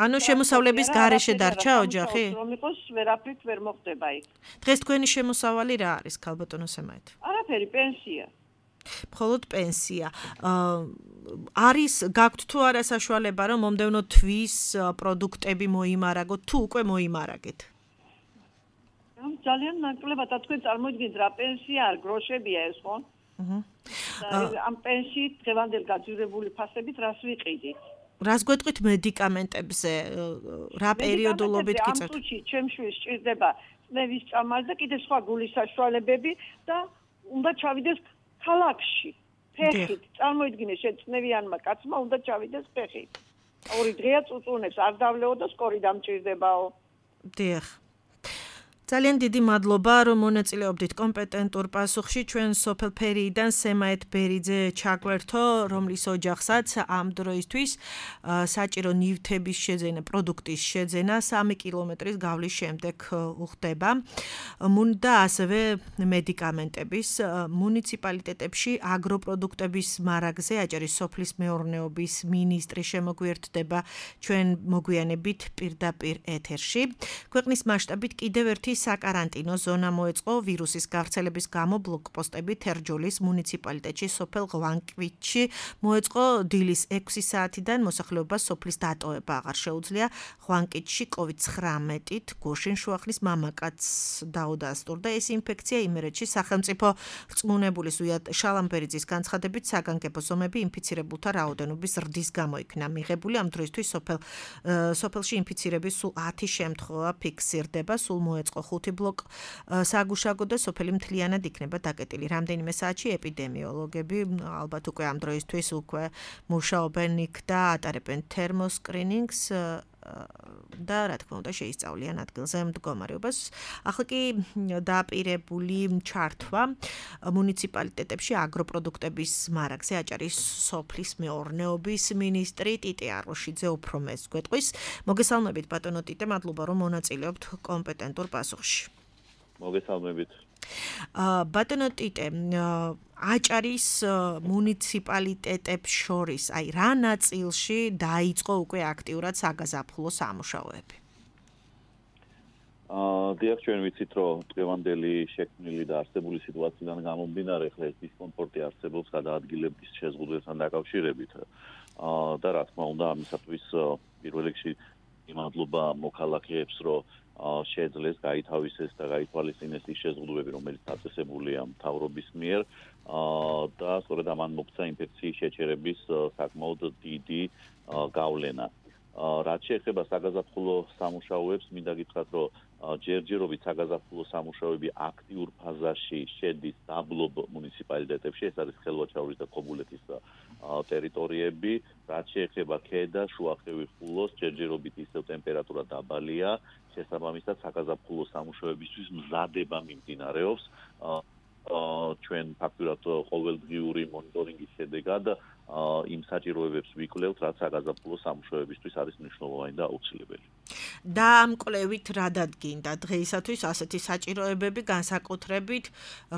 ანუ შემოსავლების გარეშე დარჩა ოჯახი? რომ იყოს ვერაფრით ვერ მოხდება იქ. დღეს თქვენი შემოსავალი რა არის ქალბატონო სემაით? არაფერი, პენსია. მხოლოდ პენსია. არის გაქვთ თუ არა საშუალება რომ მომდევნო თვის პროდუქტები მოიმარაგოთ თუ უკვე მოიმარაგეთ? ძალიან ნაკლებად თქვენ წარმოიდგინეთ რა პენსია არ გროშებია ეს ხო? ამ პენსიით დღევანდელ გაძვირებული ფასებით რას ვიყიდით? რას გვეტყვით მედიკამენტებზე? რა პერიოდულობით გიწევთ? ამ წუთში ჩემ შვილს სჭირდება წნევის წამალი და კიდე სხვა გულის საშუალებები და უნდა ჩავიდეს ქალაქში. ფეხით. წარმოიდგინე შეწნევიანმა კაცმა უნდა ჩავიდეს ფეხით. 2 დღეა წუწუნებს არ დავლეო და სკორი დამჭირდებაო. დიახ. ძალიან დიდი მადლობა, რომ მონაწილეობდით კომპეტენტურ პასუხში. ჩვენ სოფელ ფერიიდან სემაეთ ბერიძე ჩაგვერთო, რომლის ოჯახსაც ამ დროისთვის საჭირო ნივთების შეძენა, პროდუქტის შეძენა 3 კილომეტრის გავლის შემდეგ უხდება. და ასევე მედიკამენტების მუნიციპალიტეტებში აგროპროდუქტების მარაგზე აჭარის სოფლის მეურნეობის მინისტრი შემოგვიერთდება ჩვენ მოგვიანებით პირდაპირ ეთერში. ქვეყნის მასშტაბით კიდევ ერთი საკარანტინო ზონა მოეწყო ვირუსის გავრცელების გამო ბლოკპოსტები თერჯოლის მუნიციპალიტეტში სოფელ ღვანკვითში მოეწყო დილის 6 საათიდან მოსახლეობას სოფლის დატოვება აღარ შეუძლია ღვანკვითში COVID-19-ით გუშინ შუახნის მამაკაცს დაუდასტურდა ეს ინფექცია იმერეთში სახელმწიფო რწმუნებული ზვიად შალამბერიძის განცხადებით საგანგებო ზომები ინფიცირებულთა რაოდენობის ზრდის გამო იქნა მიღებული ამ დროისთვის სოფელში ინფიცირების სულ 10 შემთხვევა ფიქსირდება სულ მოეწყო 5 ბლოკ საგუშაგო და სოფელი მთლიანად იქნება დაკეტილი. რამდენიმე საათში ეპიდემიოლოგები ალბათ უკვე ამ დროისთვის უკვე მუშაობენ იქ და ატარებენ თერმოსკრინინგს და რა თქმა უნდა შეისწავლიან ადგილზე მდგომარეობას. ახლა კი დააპირებული ჩართვა მუნიციპალიტეტებში აგროპროდუქტების მარაგზე აჭარის სოფლის მეურნეობის მინისტრი ტიტე აროშიძე უფრო მეც გვეტყვის. მოგესალმებით ბატონო ტიტე, მადლობა რომ მონაწილეობთ კომპეტენტურ პასუხში. მოგესალმებით. ბატონო ტიტე, აჭარის მუნიციპალიტეტებს შორის, აი რა ნაწილში დაიწყო უკვე აქტიურად საგაზაფხულო სამუშაოები? დიახ, ჩვენ ვიცით, რომ დღევანდელი შექმნილი და არსებული სიტუაციიდან გამომდინარე, ხლა ეს დისკომფორტი არსებობს გადაადგილების შეზღუდვასთან დაკავშირებით. და რა თქმა უნდა, ამისათვის პირველ რიგში მადლობა მოქალაქეებს, რომ შეძლეს გაითავისეს და გაითვალისწინეს ის შეზღუდვები, რომელიც დაწესებულია მთავრობის მიერ და სწორედ ამან მოგვცა ინფექციის შეჩერების საკმაოდ დიდი გავლენა. რაც შეეხება საგაზაფხულო სამუშაოებს, მინდა გითხრათ, რომ ჯერჯერობით საგაზაფხულო სამუშაოები აქტიურ ფაზაში შედის დაბლობ მუნიციპალიტეტებში, ეს არის ხელვაჩაურის და ქობულეთის ტერიტორიები, რაც შეეხება ქედა, შუახევი, ხულოს, ჯერჯერობით ისევ ტემპერატურა დაბალია, შესაბამისად საგაზაფხულო სამუშაოებისთვის მზადება მიმდინარეობს. ჩვენ ფაქტურად ყოველდღიური მონიტორინგის შედეგად იმ საჭიროებებს ვიკვლევთ, რაც საგაზაფხულო სამუშაოებისთვის არის მნიშვნელოვანი და აუცილებელი. და ამ კვლევით რა დადგინდა დღეისათვის ასეთი საჭიროებები განსაკუთრებით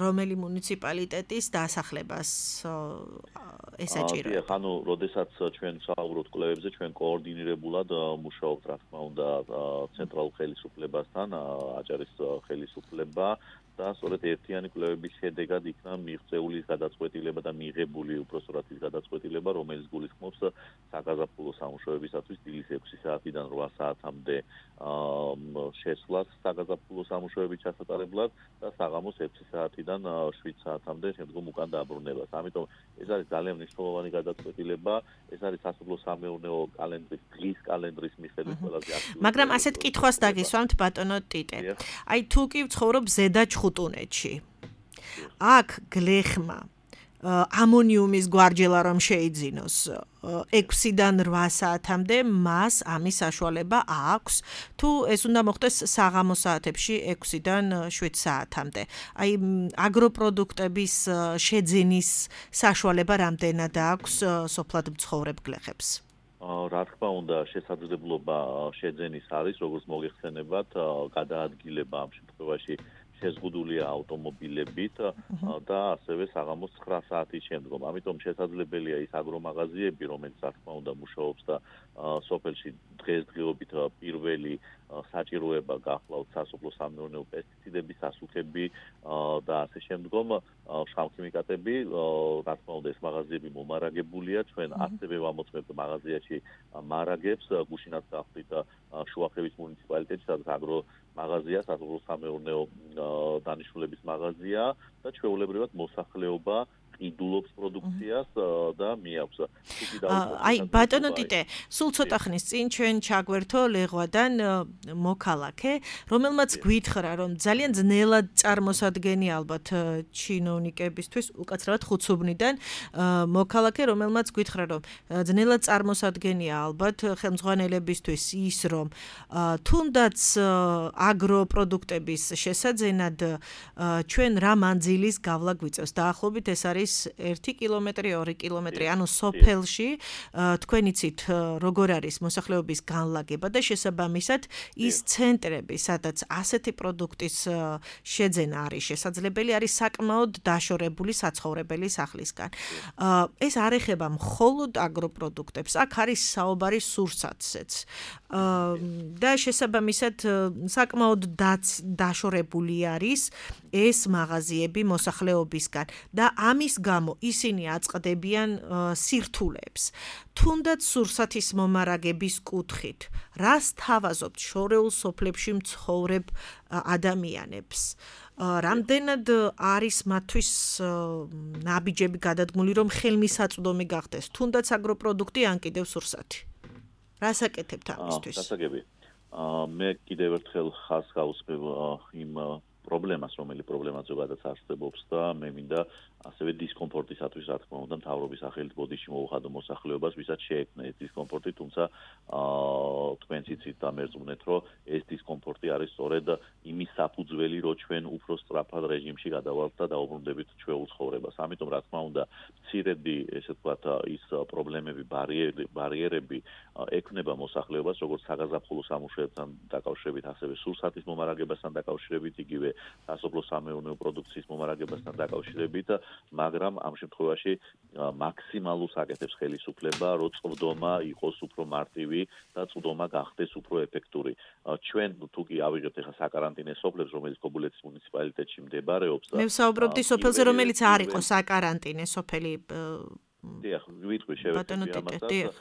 რომელი მუნიციპალიტეტის დასახლებას ესაჭიროება? ანუ, როდესაც ჩვენ ვსაუბრობთ კვლევებზე, ჩვენ კოორდინირებულად მუშაობთ, რა თქმა უნდა, ცენტრალურ ხელისუფლებასთან, აჭარის ხელისუფლება და სწორედ ერთიანი კვლევების შედეგად იქნა მიღწეული გადაწყვეტილება და მიღებული უпростоრად ის გადაწყვეტილება, რომელიც გულისხმობს საგაზაფხულო სამუშაოებისათვის დილის 6 საათიდან 8 საათამდე შესვლას საგაზაფხულო სამუშაოების ჩასატარებლად და საღამოს 6 საათიდან 7 საათამდე შემდგომ უკან დაბრუნებას. ამიტომ ეს არის ძალიან მნიშვნელოვანი გადაწყვეტილება, ეს არის სასოფლო-სამეურნეო კალენდრის დღის კალენდრის მიხედვით ყველაზე აქტიური. მაგრამ ასეთ კითხვას დაგისვამთ ბატონო ტიტე. აი თუ კი ვცხოვრობ ზედა ჩხუტუნეთში. აქ გლეხმა ამონიუმის გვარჯელა რომ შეიძინოს 6-დან 8 საათამდე მას ამის საშუალება აქვს თუ ეს უნდა მოხდეს საღამოს საათებში 6-დან 7 საათამდე. აი აგროპროდუქტების შეძენის საშუალება რამდენად აქვს სოფლად მცხოვრებ გლეხებს? რა თქმა უნდა, შესაძლებლობა შეძენის არის, როგორც მოგეხსენებათ, გადაადგილება ამ შემთხვევაში შეზღუდულია ავტომობილებით და ასევე საღამოს 9 საათის შემდგომ. ამიტომ შესაძლებელია ის აგრომაღაზიები, რომელიც რა თქმა უნდა მუშაობს და სოფელში დღესდღეობით პირველი საჭიროება გახლავთ სასოფლო-სამეურნეო პესტიციდების, ასუქები და ასე შემდგომ შავქიმიკატები, რა თქმა უნდა ეს მაღაზიები მომარაგებულია, ჩვენ ასევე ვამოწმებთ მაღაზიაში მარაგებს, გუშინაც გავხდით შუახევის მუნიციპალიტეტში, სადაც აგრომაღაზია, სასოფლო-სამეურნეო დანიშნულების მაღაზია და ჩვეულებრივად მოსახლეობა ყიდულობს პროდუქციას და მიაქვს. აი ბატონო ტიტე, სულ ცოტა ხნის წინ ჩვენ ჩაგვერთო ლეღვადან მოქალაქე, რომელმაც გვითხრა, რომ ძალიან ძნელად წარმოსადგენია ალბათ ჩინოვნიკებისთვის, უკაცრავად ხუცუბნიდან მოქალაქე, რომელმაც გვითხრა, რომ ძნელად წარმოსადგენია ალბათ ხელმძღვანელებისთვის ის, რომ თუნდაც აგროპროდუქტების შესაძენად ჩვენ რა მანძილის გავლა გვიწევს. დაახლოებით ეს არის 1 კილომეტრი, 2 კილომეტრი, ანუ სოფელში თქვენ იცით როგორ არის მოსახლეობის განლაგება და შესაბამისად ის ცენტრები, სადაც ასეთი პროდუქტის შეძენა არის შესაძლებელი, არის საკმაოდ დაშორებული საცხოვრებელი სახლისგან. ეს არ ეხება მხოლოდ აგროპროდუქტებს, აქ არის საუბარი სურსათზეც. და შესაბამისად საკმაოდ დაშორებული არის ეს მაღაზიები მოსახლეობისგან და ამის გამო ისინი აწყდებიან სირთულეებს. თუნდაც სურსათის მომარაგების კუთხით, რას თავაზობთ შორეულ სოფლებში მცხოვრებ ადამიანებს? რამდენად არის მათთვის ნაბიჯები გადადგმული, რომ ხელმისაწვდომი გახდეს, თუნდაც აგროპროდუქტი ან კიდევ სურსათი? რას აკეთებთ ამისთვის? გასაგები. მე კიდევ ერთხელ ხაზს გავუსმევ იმ პრობლემას, რომელიც პრობლემა ზოგადად არსებობს და მე მინდა ასევე დისკომფორტისათვის, რა თქმა უნდა, მთავრობის სახელით ბოდიში მოუხადო მოსახლეობას, ვისაც შეექმნა ეს დისკომფორტი, თუმცა თქვენც იცით და მერწმუნეთ, რომ ეს დისკომფორტი არის სწორედ იმის საფუძველი, რომ ჩვენ უფრო სწრაფად რეჟიმში გადავალთ და დაუბრუნდებით ჩვეულ ცხოვრებას. ამიტომ, რა თქმა უნდა, მცირედი, ესე ვთქვათ, ის პრობლემები, ბარიერები ექმნება მოსახლეობას, როგორც საგაზაფხულო სამუშაოებთან დაკავშირებით, ასევე სურსათის მომარაგებასთან დაკავშირებით, იგივე სასოფლო-სამეურნეო პროდუქციის მომარაგებასთან დაკავშირებით, მაგრამ ამ შემთხვევაში მაქსიმალურს აკეთებს ხელისუფლება, რომ წვდომა იყოს უფრო მარტივი და წვდომა გახდეს უფრო ეფექტური. ჩვენ თუ კი ავიღებთ ახლა საკარანტინე სოფლებს, რომელიც კობულეთის მუნიციპალიტეტში მდებარეობს, მე ვსაუბრობდი სოფელზე, რომელიც არ იყო საკარანტინე სოფელი. დიახ, ვიტყვი შევეცდები ამასაც.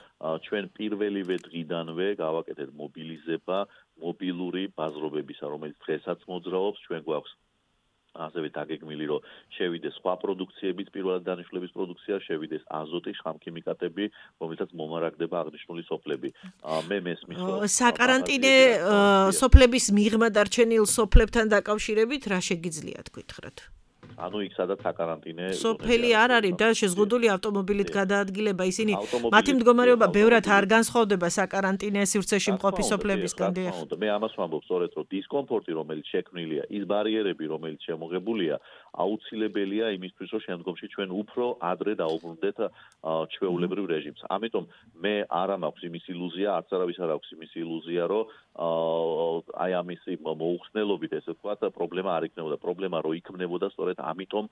ჩვენ პირველივე დღიდანვე გავაკეთეთ მობილიზება მობილური ბაზრობებისა, რომელიც დღესაც მოძრაობს, ჩვენ გვაქვს ასევე დაგეგმილი, რომ შევიდეს სხვა პროდუქციებიც, პირველად დანიშნულების პროდუქცია, შევიდეს აზოტი, შხამქიმიკატები, რომელთაც მომარაგდება აღნიშნული სოფლები. მე მესმის, რომ საკარანტინე სოფლების მიღმა დარჩენილ სოფლებთან დაკავშირებით რა შეგიძლიათ გითხრათ? ანუ იქ სადაც საკარანტინე სოფელი არ არის და შეზღუდული ავტომობილით გადაადგილება, ისინი მათი მდგომარეობა ბევრად არ განსხვავდება საკარანტინე სივრცეში მყოფი სოფლებისგან. მე ამას ვამბობ სწორედ, რომ დისკომფორტი, რომელიც შექმნილია, ის ბარიერები, რომელიც შემოღებულია, აუცილებელია იმისთვის, რომ შემდგომში ჩვენ უფრო ადრე დაუბრუნდეთ ჩვეულებრივ რეჟიმს. ამიტომ მე არა მაქვს იმის ილუზია, არც არავის არ აქვს იმის ილუზია, რომ აი ამის მოუხსნელობით, ესე ვთქვათ, პრობლემა არ იქნებოდა. პრობლემა რო იქნებოდა, სწორედ ამიტომ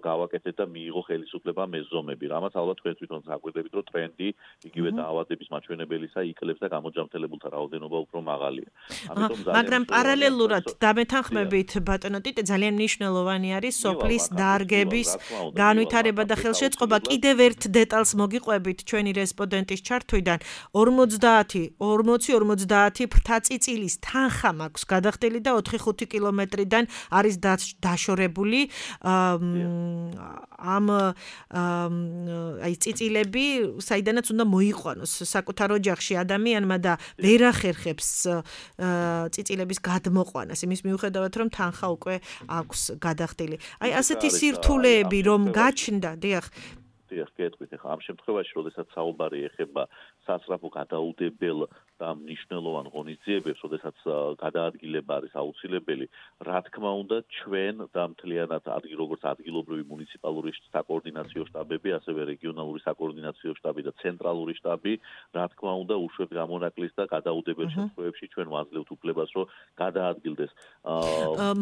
გავაკეთეთ და მიიღო ხელისუფლება მეზომები. რამაც ალბათ თქვენ თვითონ საკვირდებით, რომ ტრენდი იგივე დაავადების მაჩვენებელისა იკლებს და გამოჯამრთელებულთა რაოდენობა უფრო მაღალია. მაგრამ პარალელურად დამეთანხმებით ბატონო ტიტე, ძალიან მნიშვნელოვანი არის სოფლის დარგების განვითარება და ხელშეწყობა. კიდევ ერთ დეტალს მოგიყვებით ჩვენი რესპონდენტის ჩართვიდან. 40-50 ფრთაწიწილის თანხა მაქვს გადახდილი და 4-5 კილომეტრიდან არის დაშორებული ამ აი წიწილები, საიდანაც უნდა მოიყვანოს საკუთარ ოჯახში ადამიანმა და ვერ ახერხებს წიწილების გადმოყვანას, იმის მიუხედავად, რომ თანხა უკვე აქვს გადახდილი. აი ასეთი სირთულეები რომ გაჩნდა, დიახ, გეტყვით, ახლა ამ შემთხვევაში, როდესაც საუბარი ეხება სასწრაფო გადაუდებელ და მნიშვნელოვან ღონისძიებებს, როდესაც გადაადგილება არის აუცილებელი, რა თქმა უნდა, ჩვენ და მთლიანად როგორც ადგილობრივი მუნიციპალური საკოორდინაციო შტაბები, ასევე რეგიონალური საკოორდინაციო შტაბი და ცენტრალური შტაბი, რა თქმა უნდა, უშვებს გამონაკლის და გადაუდებელ შემთხვევებში ჩვენ ვაძლევთ უფლებას, რომ გადაადგილდეს.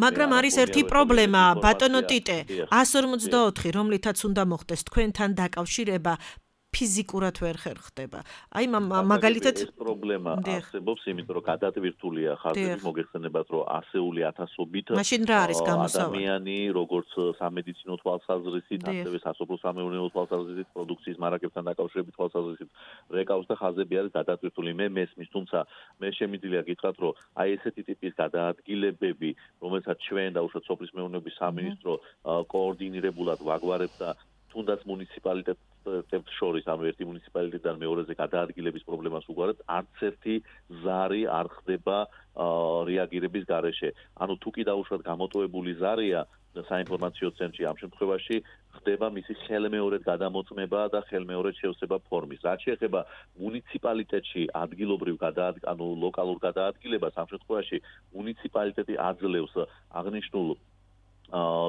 მაგრამ არის ერთი პრობლემა, ბატონო ტიტე, 144, რომლითაც უნდა მოხდეს თქვენთან დაკავშირება, ფიზიკურად ვერ ხერხდება. აი მაგალითად ეს პრობლემა არსებობს, იმიტომ რომ გადატვირთულია ხაზები, მოგეხსენებათ, რომ ასეული ათასობით ადამიანი, როგორც სამედიცინო თვალსაზრისით, ასევე სასოფლო-სამეურნეო თვალსაზრისით, პროდუქციის მარაგებთან დაკავშირებით თვალსაზრისით რეკავს და ხაზები არის გადატვირთული. მე მესმის, თუმცა მე შემიძლია გითხრათ, რომ აი ესეთი ტიპის გადაადგილებები, რომელსაც ჩვენ და უშუალოდ სოფლის მეურნეობის სამინისტრო კოორდინირებულად ვაგვარებთ და თუნდაც მუნიციპალიტეტებს შორის, ანუ ერთი მუნიციპალიტეტიდან მეორეზე გადაადგილების პრობლემას უგვარად, არც ერთი ზარი არ ხდება რეაგირების გარეშე. ანუ თუ კი დაუშვათ გამოტოვებული ზარია საინფორმაციო ცენტრში, ამ შემთხვევაში ხდება მისი ხელმეორედ გადამოწმება და ხელმეორედ შევსება ფორმის. რაც შეეხება მუნიციპალიტეტში ადგილობრივ ანუ ლოკალურ გადაადგილებას, ამ შემთხვევაში მუნიციპალიტეტი აძლევს აღნიშნულ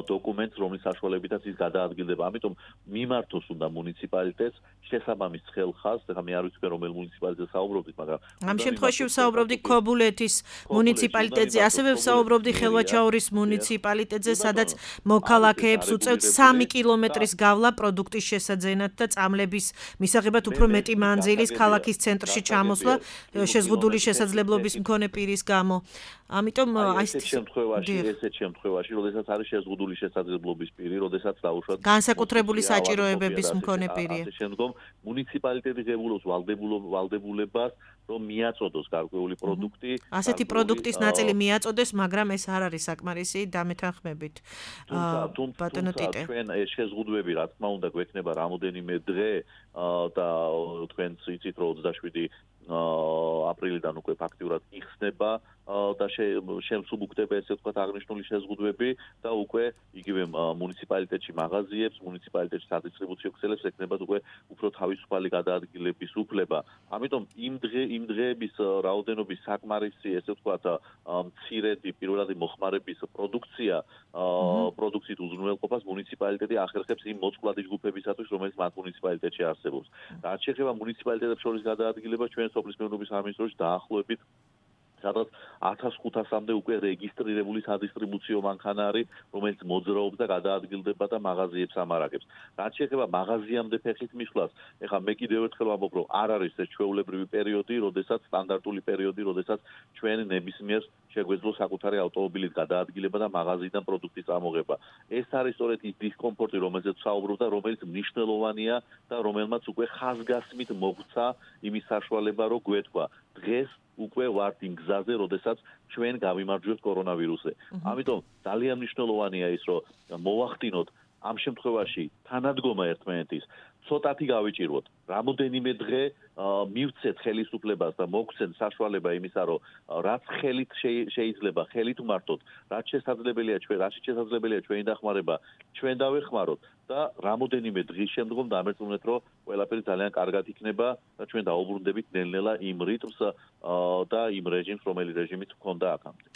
დოკუმენტს, რომლის საშუალებითაც ის გადაადგილდება. ამიტომ მიმართოს უნდა მუნიციპალიტეტს შესაბამის ხელხას, ეხლა მე არ ვიცი რომელ მუნიციპალიტეტზე საუბრობდით, მაგრამ ამ შემთხვევაში ვსაუბრობდი ქობულეთის მუნიციპალიტეტზე, ასევე ვსაუბრობდი ხელვაჩაურის მუნიციპალიტეტზე, სადაც მოქალაქეებს უწევთ 3 კილომეტრის გავლა პროდუქტის შესაძენად და წამლების მისაღებად უფრო მეტი მანძილის ქალაქის ცენტრში ჩამოსვლა შეზღუდული შესაძლებლობის მქონე პირის გამო. ამიტომ ესეთ შემთხვევაში, როდესაც არის შეზღუდული შესაძლებლობის პირი, როდესაც დაუშვათ განსაკუთრებული საჭიროებების მქონე პირია. ასე შემდგომ მუნიციპალიტეტი ღებულობს ვალდებულებას, რომ მიაწოდოს გარკვეული პროდუქტი. ასეთი პროდუქტის ნაწილი მიაწოდეს, მაგრამ ეს არ არის საკმარისი დამეთანხმებით. თუმცა ჩვენ ეს შეზღუდვები, რა თქმა უნდა, გვექნება რამოდენიმე დღე და თქვენ იცით, რომ 27 აპრილიდან უკვე ფაქტიურად იხსნება და შემსუბუქდება ესე ვთქვათ აღნიშნული შეზღუდვები და უკვე იგივე მუნიციპალიტეტში მაღაზიებს, მუნიციპალიტეტში სადისტრიბუციო ქსელებს ექნებათ უკვე უფრო თავისუფალი გადაადგილების უფლება. ამიტომ იმ დღეების რაოდენობის საკმარისი ესე ვთქვათ მცირედი პირველადი მოხმარების პროდუქციით უზრუნველყოფას მუნიციპალიტეტი ახერხებს იმ მოწყვლადი ჯგუფებისათვის, რომელიც მათ მუნიციპალიტეტში არსებობს. რაც შეეხება მუნიციპალიტეტებს შორის გადაადგილებას, ჩვენ სოფლის მეურნეობის სამინისტროში დაახლოებით სადაც 1500-მდე უკვე რეგისტრირებული სადისტრიბუციო მანქანა არის, რომელიც მოძრაობს და გადაადგილდება და მაღაზიებს ამარაგებს. რაც შეეხება მაღაზიამდე ფეხით მისვლას, ეხლა მე კიდევ ერთხელ ვამბობ, რომ არ არის ეს ჩვეულებრივი პერიოდი, სტანდარტული პერიოდი, როდესაც ჩვენ ნებისმიერ შეგვეძლოს საკუთარი ავტომობილით გადაადგილება და მაღაზიიდან პროდუქტის წამოღება. ეს არის სწორედ ის დისკომფორტი, რომელზეც ვსაუბრობ და რომელიც მნიშვნელოვანია და რომელმაც უკვე ხაზგასმით მოგვცა იმის საშუალება, რომ გვეთქვა დღეს უკვე ვართ იმ გზაზე, როდესაც ჩვენ გავიმარჯვებთ კორონავირუსზე. ამიტომ ძალიან მნიშვნელოვანია ის, რომ მოვახდინოთ ამ შემთხვევაში თანადგომა ერთმანეთის, ცოტათი გავიჭიროთ. რამოდენიმე დღე მივცეთ ხელისუფლებას და მოგცეთ საშუალება იმისა, რომ რაც ხელით შეიძლება, ხელით ვმართოთ, რაც შესაძლებელია ჩვენი დახმარება, ჩვენ დავეხმაროთ და რამოდენიმე დღის შემდგომ დამერწმუნეთ, რომ ყველაფერი ძალიან კარგად იქნება და ჩვენ დაუბრუნდებით ნელ-ნელა იმ რიტმს და იმ რეჟიმს, რომელიც რეჟიმით ჰქონდა აქამდე.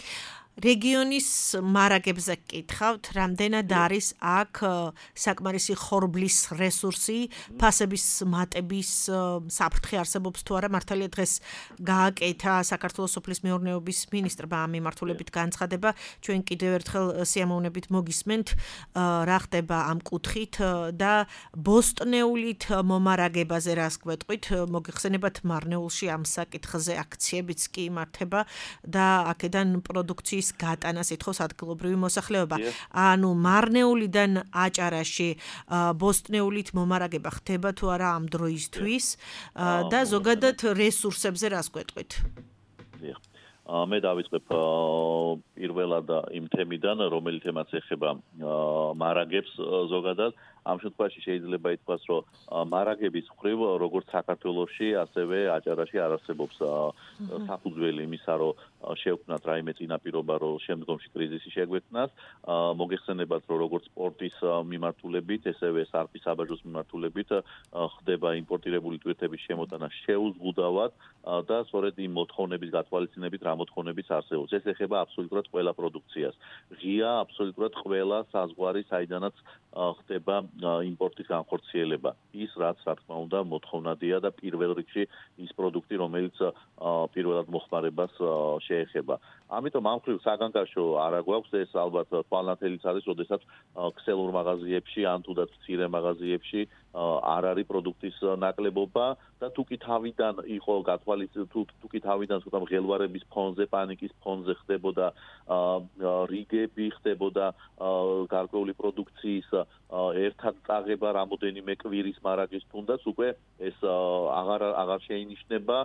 რეგიონის მარაგებზე გკითხავთ, რამდენად არის აქ საკმარისი ხორბლის რესურსი, ფასების მატების საფრთხე არსებობს თუ არა? მართალია დღეს გააკეთა საქართველოს სოფლის მეურნეობის მინისტრმა ამ მიმართულებით განცხადება. ჩვენ კიდევ ერთხელ სიამოვნებით მოგისმენთ, რა ხდება ამ კუთხით და ბოსტნეულით მომარაგებაზე რას გვეტყვით? მოგიხსენებათ, მარნეულში ამ საკითხზე აქციებიც კი იმართება და აქედან პროდუქციის გატანას ითხოვს ადგილობრივი მოსახლეობა. ანუ მარნეულიდან აჭარაში ბოსტნეულით მომარაგება ხდება თუ არა ამ დროისთვის და ზოგადად რესურსებზე რას გვეტყვით? მე დავიწყებ პირველად იმ თემიდან, რომელიც თემაც ეხება მარაგებს ზოგადად. ამ შემთხვევაში შეიძლება ითქვას, რომ მარაგების მხრივ როგორც საქართველოში, ასევე აჭარაში არ არსებობს საფუძველი იმისა, რომ შევქმნათ რაიმე წინაპირობა, რომ შემდგომში კრიზისი შეგვექმნას. მოგეხსენებათ, რომ როგორც სპორტის მიმართულებით, ესევე სარფის საბაჟოს მიმართულებით ხდება იმპორტირებული ტვირთების შემოტანა შეუზღუდავად და სწორედ იმ მოთხოვნების გათვალისწინებით, რა მოთხოვნებიც არსებობს. ეს ეხება აბსოლუტურად ყველა პროდუქციას. ღია აბსოლუტურად ყველა საზღვარი, საიდანაც ხდება იმპორტის განხორციელება. ის რაც რა თქმა უნდა მოთხოვნადია და პირველ რიგში ის პროდუქტი, რომელიც პირველად მოხმარებას შეეხება. ამიტომ ამ მხრივ საგანგაშო არა გვაქვს, ეს ალბათ თვალნათელიც არის, როდესაც ქსელურ მაღაზიებში ან თუდაც მცირე მაღაზიებში არ არის პროდუქტის ნაკლებობა და თუკი თავიდან იყო თუკი თავიდან ცოტა მღელვარების ფონზე, პანიკის ფონზე ხდებოდა რიგები, ხდებოდა გარკვეული პროდუქციის ერთად წაღება რამოდენიმე კვირის მარაგის თუნდაც უკვე ეს აღარ შეინიშნება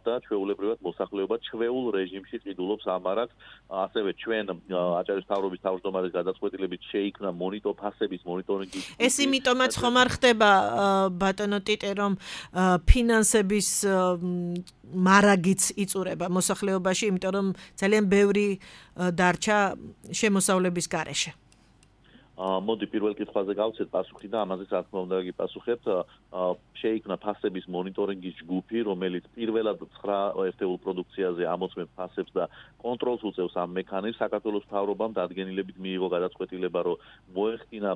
და ჩვეულებრივად მოსახლეობა ჩვეულ რეჟიმში ყიდულობს ამ მარაგს. ასევე ჩვენ აჭარის მთავრობის თავმჯდომარის გადაწყვეტილებით შეიქმნა ფასების მონიტორინგი. ეს იმიტომაც ხომ არ ხდება ბატონო ტიტე, რომ ფინანსების მარაგიც იწურება მოსახლეობაში, იმიტომ რომ ძალიან ბევრი დარჩა შემოსავლების გარეშე. მოდი პირველ კითხვაზე გავცეთ პასუხი და ამაზე რა თქმა უნდა გიპასუხებთ. შეიქმნა ფასების მონიტორინგის ჯგუფი, რომელიც პირველად 9 ერთეულ პროდუქციაზე ამოწმებს ფასებს და კონტროლს უწევს ამ მექანიზმს. საქართველოს მთავრობამ დადგენილებით მიიღო გადაწყვეტილება, რომ მოეხდინა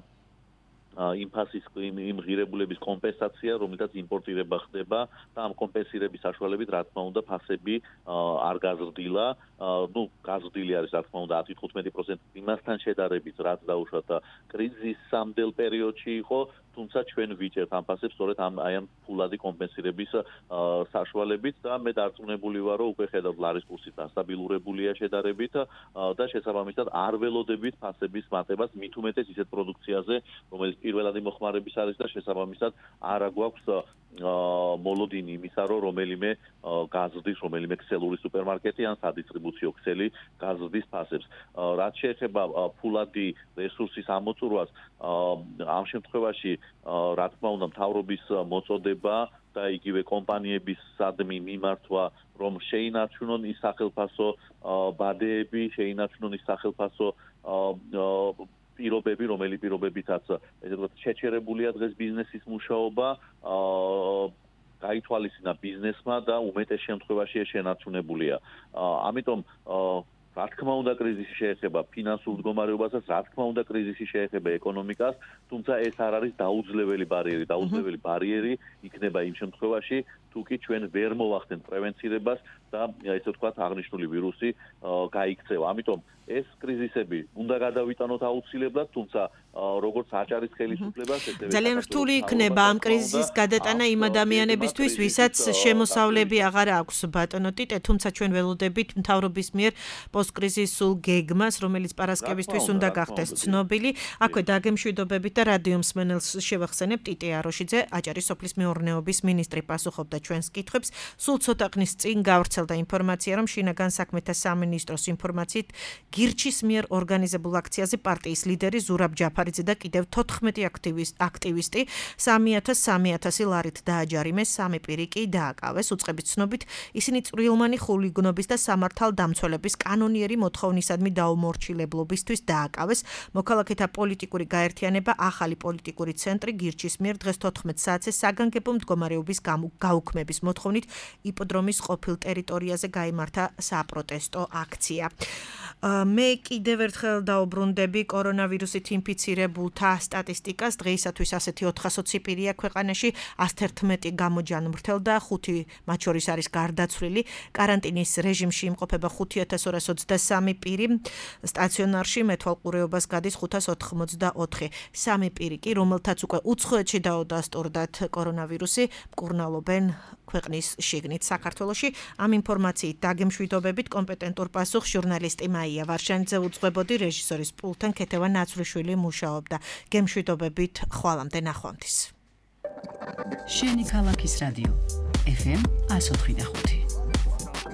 იმ ფასის იმ ღირებულების კომპენსაცია, რომელთაც იმპორტირება ხდება და ამ კომპენსირების საშუალებით რა თქმა უნდა ფასები არ გაზრდილა. გაზრდილი არის რა თქმა უნდა 10-15% იმასთან შედარებით, რაც დაუშვათ კრიზისამდელ პერიოდში იყო, თუმცა ჩვენ ვიჭერთ ამ ფასებს სწორედ ამ ფულადი კომპენსირების საშუალებით და მე დარწმუნებული ვარ, რომ უკვე ხედავთ ლარის კურსი დასტაბილურებულია შედარებით და შესაბამისად არ ველოდებით ფასების მატებას მით უმეტეს ისეთ პროდუქციაზე, რომელიც პირველადი მოხმარების არის და შესაბამისად არ გვაქვს მოლოდინი იმისა, რომ რომელიმე გაზრდის, რომელიმე ქსელური სუპერმარკეტი ან სადისტრიბუციო ქსელი გაზრდის ფასებს. რაც შეეხება ფულადი რესურსის ამოწურვას, ამ შემთხვევაში რა თქმა უნდა მთავრობის მოწოდება და იგივე კომპანიების სადმი მიმართვა, რომ შეინარჩუნონ ის სახელფასო ბადეები, შეინარჩუნონ ის სახელფასო პირობები, რომელი პირობებითაც ესე ვთქვათ შეჩერებულია დღეს ბიზნესის მუშაობა, გაითვალისწინა ბიზნესმა და უმეტეს შემთხვევაში შენარჩუნებულია. ამიტომ რა თქმა უნდა კრიზისი შეეხება ფინანსურ მდგომარეობასაც, რა თქმა უნდა კრიზისი შეეხება ეკონომიკას, თუმცა ეს არ არის დაუძლეველი ბარიერი. დაუძლეველი ბარიერი იქნება იმ შემთხვევაში, თუკი ჩვენ ვერ მოვახდენთ პრევენცირებას და ესე ვთქვათ აღნიშნული ვირუსი გაიქცევა. ამიტომ ეს კრიზისები უნდა გადავიტანოთ აუცილებლად, თუმცა როგორც აჭარის ხელისუფლებას ძალიან რთული იქნება ამ კრიზისის გადატანა იმ ადამიანებისთვის, ვისაც შემოსავლები აღარ აქვს ბატონო ტიტე, თუმცა ჩვენ ველოდებით მთავრობის მიერ პოსტკრიზისულ გეგმას, რომელიც პარასკევისთვის უნდა გახდეს ცნობილი. აქვე დაგემშვიდობებით და რადიო მსმენელს შევახსენებ, ტიტე აროშიძე, აჭარის სოფლის მეურნეობის მინისტრი პასუხობდა ჩვენს კითხვებს. სულ ცოტა ხნის წინ გავრცელდა ინფორმაცია, რომ შინაგან საქმეთა სამინისტროს ინფორმაციით გირჩის მიერ ორგანიზებულ აქციაზე პარტიის ლიდერი ზურაბ ჯაფარიძე და კიდევ 14 აქტივისტი 3,000 ლარით დააჯარიმეს, 3 პირი კი დააკავეს. უწყებით ცნობით, ისინი წვრილმანი ხულიგნობის და სამართალდამცველების კანონიერი მოთხოვნისადმი დაუმორჩილებლობისთვის დააკავეს. მოქალაქეთა პოლიტიკური გაერთიანება ახალი პოლიტიკური ცენტრი გირჩის მიერ დღეს 14 საათზე საგანგებო მდგომარეობის გაუქმების მოთხოვნით იპოდრომის ყოფილ ტერიტორიაზე გაიმართა საპროტესტო აქცია. მე კიდევ ერთხელ დაუბრუნდები კორონავირუსით ინფიცირებულთა სტატისტიკას. დღეისათვის ასეთი 420 პირია ქვეყანაში, 111 გამოჯანმრთელდა, 5 მათ შორის არის გარდაცვლილი. კარანტინის რეჟიმში იმყოფება 5223 პირი, სტაციონარში მეთვალყურეობას გადის 584. 3 პირი კი, რომელთაც უკვე უცხოეთში დაუდასტურდათ კორონავირუსი, მკურნალობენ ქვეყნის შიგნით საქართველოში. ამ ინფორმაციით დაგემშვიდობებით კომპეტენტურ პასუხს ჟურნალისტი მაია ვარშანიძე უძღვებოდი, რეჟისორის პულტთან ქეთევა ნაცვლიშვილი მუშაობდა. გემშვიდობებით, ხვალამდე ნახვამდის. შენი ქალაქის რადიო FM 104.5